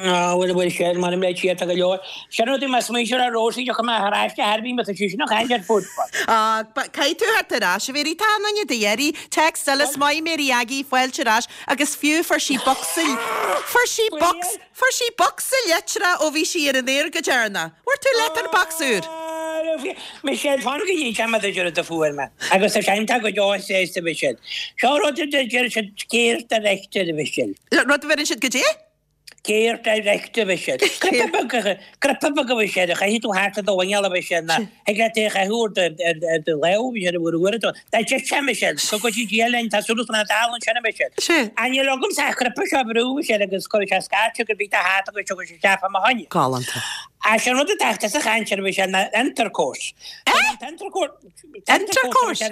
Speaker 12: Á, bhuel, bhuel, sin, m'anam le Dia, tá go leor. Sin rud é, má smaointear ar Rosie, tiocfaidh mé thar ais go hairbí má tá sí sin ag caint ar football.
Speaker 1: Á, caithfidh tú theacht ar ais, a Mhéirí, tá an duine do iarraidh. Text eile, is maith Mary Aggie, fáilte ar ais, agus fiú fuair sí bocsa, fuair sí bocs, Fuair sí bocsa litreach ó bhí sí ar an aer go deireanach. Bhfuair tú letterbox úr?
Speaker 12: Michelle, Fan go n-inseoidh mé duit rud a fuair mé agus tá sé iontach go deo sásta Michelle. Seo rud a deir siad care director a Mhichelle.
Speaker 1: Rud a bheireann siad goidé?
Speaker 12: Care director a Mhichelle. Cnaipe beag cnaipe beag a Mhichelle a chaithfidh tú thart ar do mhuineál a Mhichelle ná thig leat é a chaitheamh ar do lámh a Mhichelle uair uair a dó. Dá dtit sé Michelle, go gcuirfidh Dia linn, tá súil agam nach dtarlaíonn sin a Mhichelle.
Speaker 1: Sea.
Speaker 12: Ach níl agamsa ach cnaipe seo a bhrú a Mhichelle agus cuirfidh sé scairteadh gur bhí do hata agus tiocfaidh sé isteach fá mo choinne.
Speaker 1: Galánta.
Speaker 12: Ach sé an rud atá tusa a chaint air a Mhichelle ná intercourse.
Speaker 1: Eh?
Speaker 12: Intercourse?
Speaker 1: Intercourse?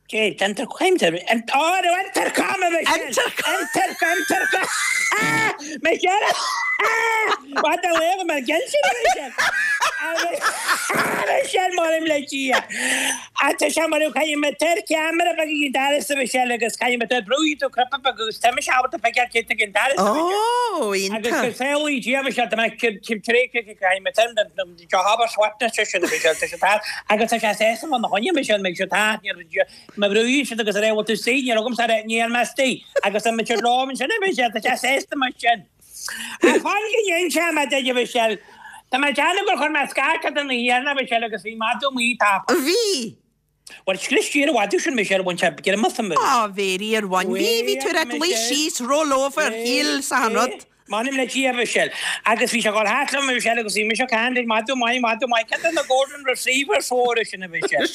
Speaker 12: Cé, intercom, á, intercom a Mhichelle!
Speaker 1: Intercom!
Speaker 12: Intercom, intercom! Michelle! What the hell mar gheall sin a Mhichelle? Michelle m'anam le Dia. Ach tá sé mar caithfidh mé tar ceamara beag ag an doras a Mhichelle agus caithfidh mé tar brúfaidh tú cnaipe beag agus tá mise ábalta feiceáil cé tá ag an doras a Mhichelle.
Speaker 1: Ó,
Speaker 12: Agus
Speaker 1: iontach.
Speaker 12: go samhlaí Dia Michelle tá mé tar éis caithfidh mé tar Seo hábhar suaimhneas sé sin a Mhichelle tá sé tar agus tá sé sásta fá na choinne Michelle mbeidh sé tar má bhrúíonn siad agus a rá bhfuil tú istigh níl agamsa a rá níl mé istigh agus tá mé lom ansin a Mhichelle tá sé sásta mar sin. Ach fan go n-inseoidh mé duit a Mhichelle tá mé ag déanamh gur chuir mé scairt ort an oíche dheireanach a Mhichelle agus bhí madadh amuigh tapa.
Speaker 1: Bhí!
Speaker 12: Bhuel scrios siar an mhadadh sin Michelle bhain sé greim asam.
Speaker 1: Á Mhéirí ar bhain. Bhí, bhí tú ar luí síos, roll over, shíl sa an rud.
Speaker 12: M'anam le Dia, a Mhichelle. Agus bhí sé ag dul thart liom, a Mhichelle, agus bhí mise ag caint ag madadh maith, madadh maith, ceann de na Golden Receivers mhóra sin, a Mhichelle.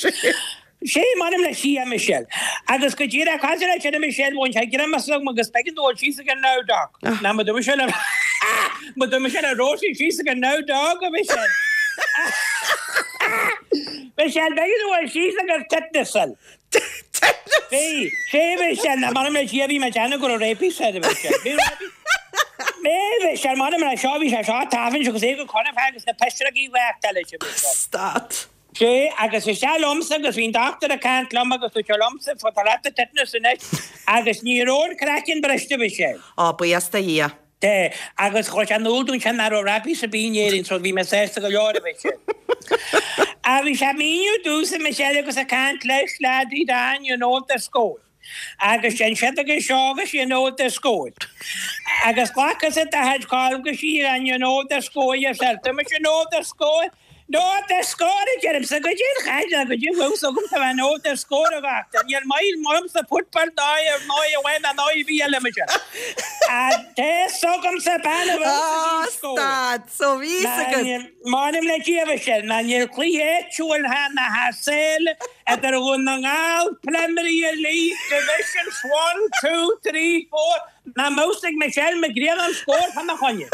Speaker 12: Sé, m'anam le Dia, a Mhichelle. Agus go díreach cosúil leis sin, a Mhichelle, bhain sé greim asam agus b'éigean dom dul síos ag an now dog. Ná mo dúirt sé le, mo dúirt sé le Rosie síos ag an now dog, a Mhichelle. Michelle, b'éigean dom dul síos agus tetanus.
Speaker 1: Tetanus!
Speaker 12: Bhí, sé Michelle, ná m'anam le Dia bhí mé ag déanamh go raibh rabies air, Michelle. Bhí rabies. Bhí, Michelle, m'anam le seo, bhí sé seo tafann agus é go conamh agus na pisreogaí leacht eile sin, Michelle.
Speaker 1: Stad.
Speaker 12: Sé, agus isteach liomsa agus bhí an dochtúir ag caint liom agus dúirt sé liomsa, tá leat an tetanus anois agus ní raibh an craiceann briste, Michelle.
Speaker 1: Á, buíochas do Dhia.
Speaker 12: Té, agus chuir sé in iúl dúinn sin nach raibh rabies ar bith in Éirinn so bhí mé sásta go leor a Mhichelle. Ach bhí sé ag míniú domhsa Michelle agus ag caint leis laddie Dan you know the score. Agus sin siad agus seo agus you know the score. Agus ghlacas i do chuid cáil agus and you know the score yourself. Tá mise you know the score. Know the score a deirimse goidé an chaid ná goidé an bhfuil 's agamsa a bheith know the score a dhochtúir. Níl maith liomsa football ná ar ndóigh amháin ná ndóigh bhí eile mise. Tá 'fhios agamsa bean a bhfuil
Speaker 1: Á,
Speaker 12: sa score.
Speaker 1: stad, so bhí 'fhios agat.
Speaker 12: M'anam le Dia Michelle, ná níl cluiche áitiúil thar na hasail idir Dhún na nGall, Premier League Divisions 1, 2, 3, 4, nach mbeadh ag Michelle Mac Grianna an scór fá na choinne.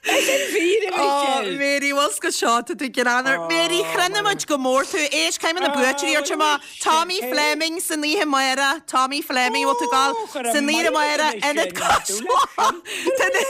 Speaker 12: Sin fíor, a
Speaker 1: Ó,
Speaker 12: Mhichelle.
Speaker 1: Mary, bhfuil 's agat seo, tá tú greannmhar. Mary, chronaigh muid go mór tú. Éist, caithfidh mé na buaiteoirí a thabhairt amach. Tommy Fleming san oíche amárach. Tommy Fleming, bhfuil tú ag gabháil san oíche amárach, Ionad Cois Locha. Tá na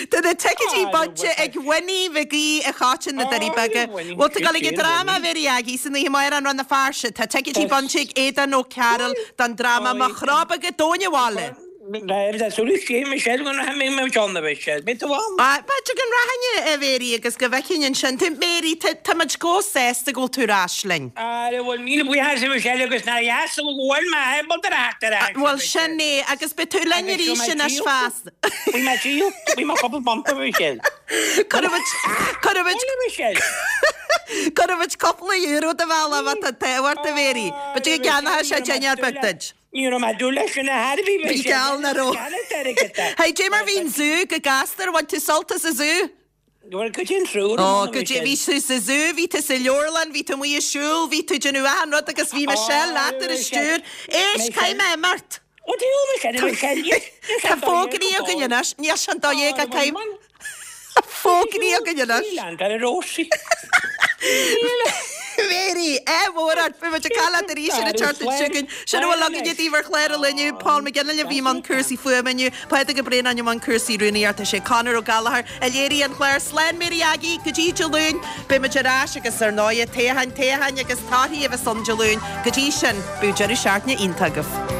Speaker 1: Tá na ticéidí bainte ag Winnie Mhig Aoidh a Choiteann na Doirí Beaga. Bhfuil tú ag gabháil ag an dráma, a Mhary Aggie, san oíche amárach, an Rann na Feirste. Tá ticéidí bainte ag Aodán Ó Cearúil don dráma Mo Chró Beag i dTóin an Bhaile.
Speaker 12: Tá súil agam Michelle go mbeidh mé ann a Mhichelle. Beidh tú ann?
Speaker 1: B'fhéidir go rachainn a Mhary agus go bhfeicfinn ansin tú. Mary, tá muid chomh sásta go bhfuil tú ar ais linn.
Speaker 12: Ara bhuel míle buíochas a Mhichelle agus nár dheas go bhfuil mé ábalta a theacht ar ais a
Speaker 1: Bhuel sin é agus beidh tú linn arís anois feasta.
Speaker 12: Bhí mé díol, bhí mé cúpla bump a Mhichelle.
Speaker 1: Cuirfidh muid, cuirfidh muid,
Speaker 12: Bhuel a Mhichelle.
Speaker 1: Cuirfidh muid cúpla euro do bhealach má tá an t-ádh ort a Mhary. B'fhéidir go gceannóidh sé dinnéar beag duit.
Speaker 12: Ní raibh mé ag dúil leis sin a thairbhí, bhí
Speaker 1: Bhí
Speaker 12: sé
Speaker 1: geall nach raibh.
Speaker 12: Ceannas airgead de.
Speaker 1: Hey, dé mar bhí an zú go gasta, ar bhain tú sult as an zú?
Speaker 12: Bhuel, go dtí an triúr
Speaker 1: Ó,
Speaker 12: amuigh
Speaker 1: go dtí, bhí tú sa zú, bhí tú sa leabharlann, bhí tú amuigh ag siúl, bhí tú ag déanamh achan rud agus bhí Michelle leat ar an stiúir. Éist, caithfidh mé imeacht.
Speaker 12: Ó, dtí Michelle, Michelle,
Speaker 1: Tá fógraí againn anois, níl sé an dóigh ag caithfidh. Fógraí againn anois.
Speaker 12: Níl ann, ar Róisín.
Speaker 1: Mary, ádh mór ort, beidh muid ag caint leat arís ar an tseachtain seo chugainn. Sin a bhfuil againne daoibh ar chlár an lae inniu. Paul McGinley a bhí i mbun cúrsaí fuaime inniu, Pádraig Ó Braonáin i mbun cúrsaí rúnaíochta, sé Conor Ó Gallchóir a léirigh an clár. Slán Mary Aggie, go dtí Dé Luain. Beidh muid ar ais agus ar ndóigh, toghcháin, toghcháin agus torthaí a bheas ann Dé Luain. Go dtí sin, bíodh deireadh seachtaine iontach agaibh.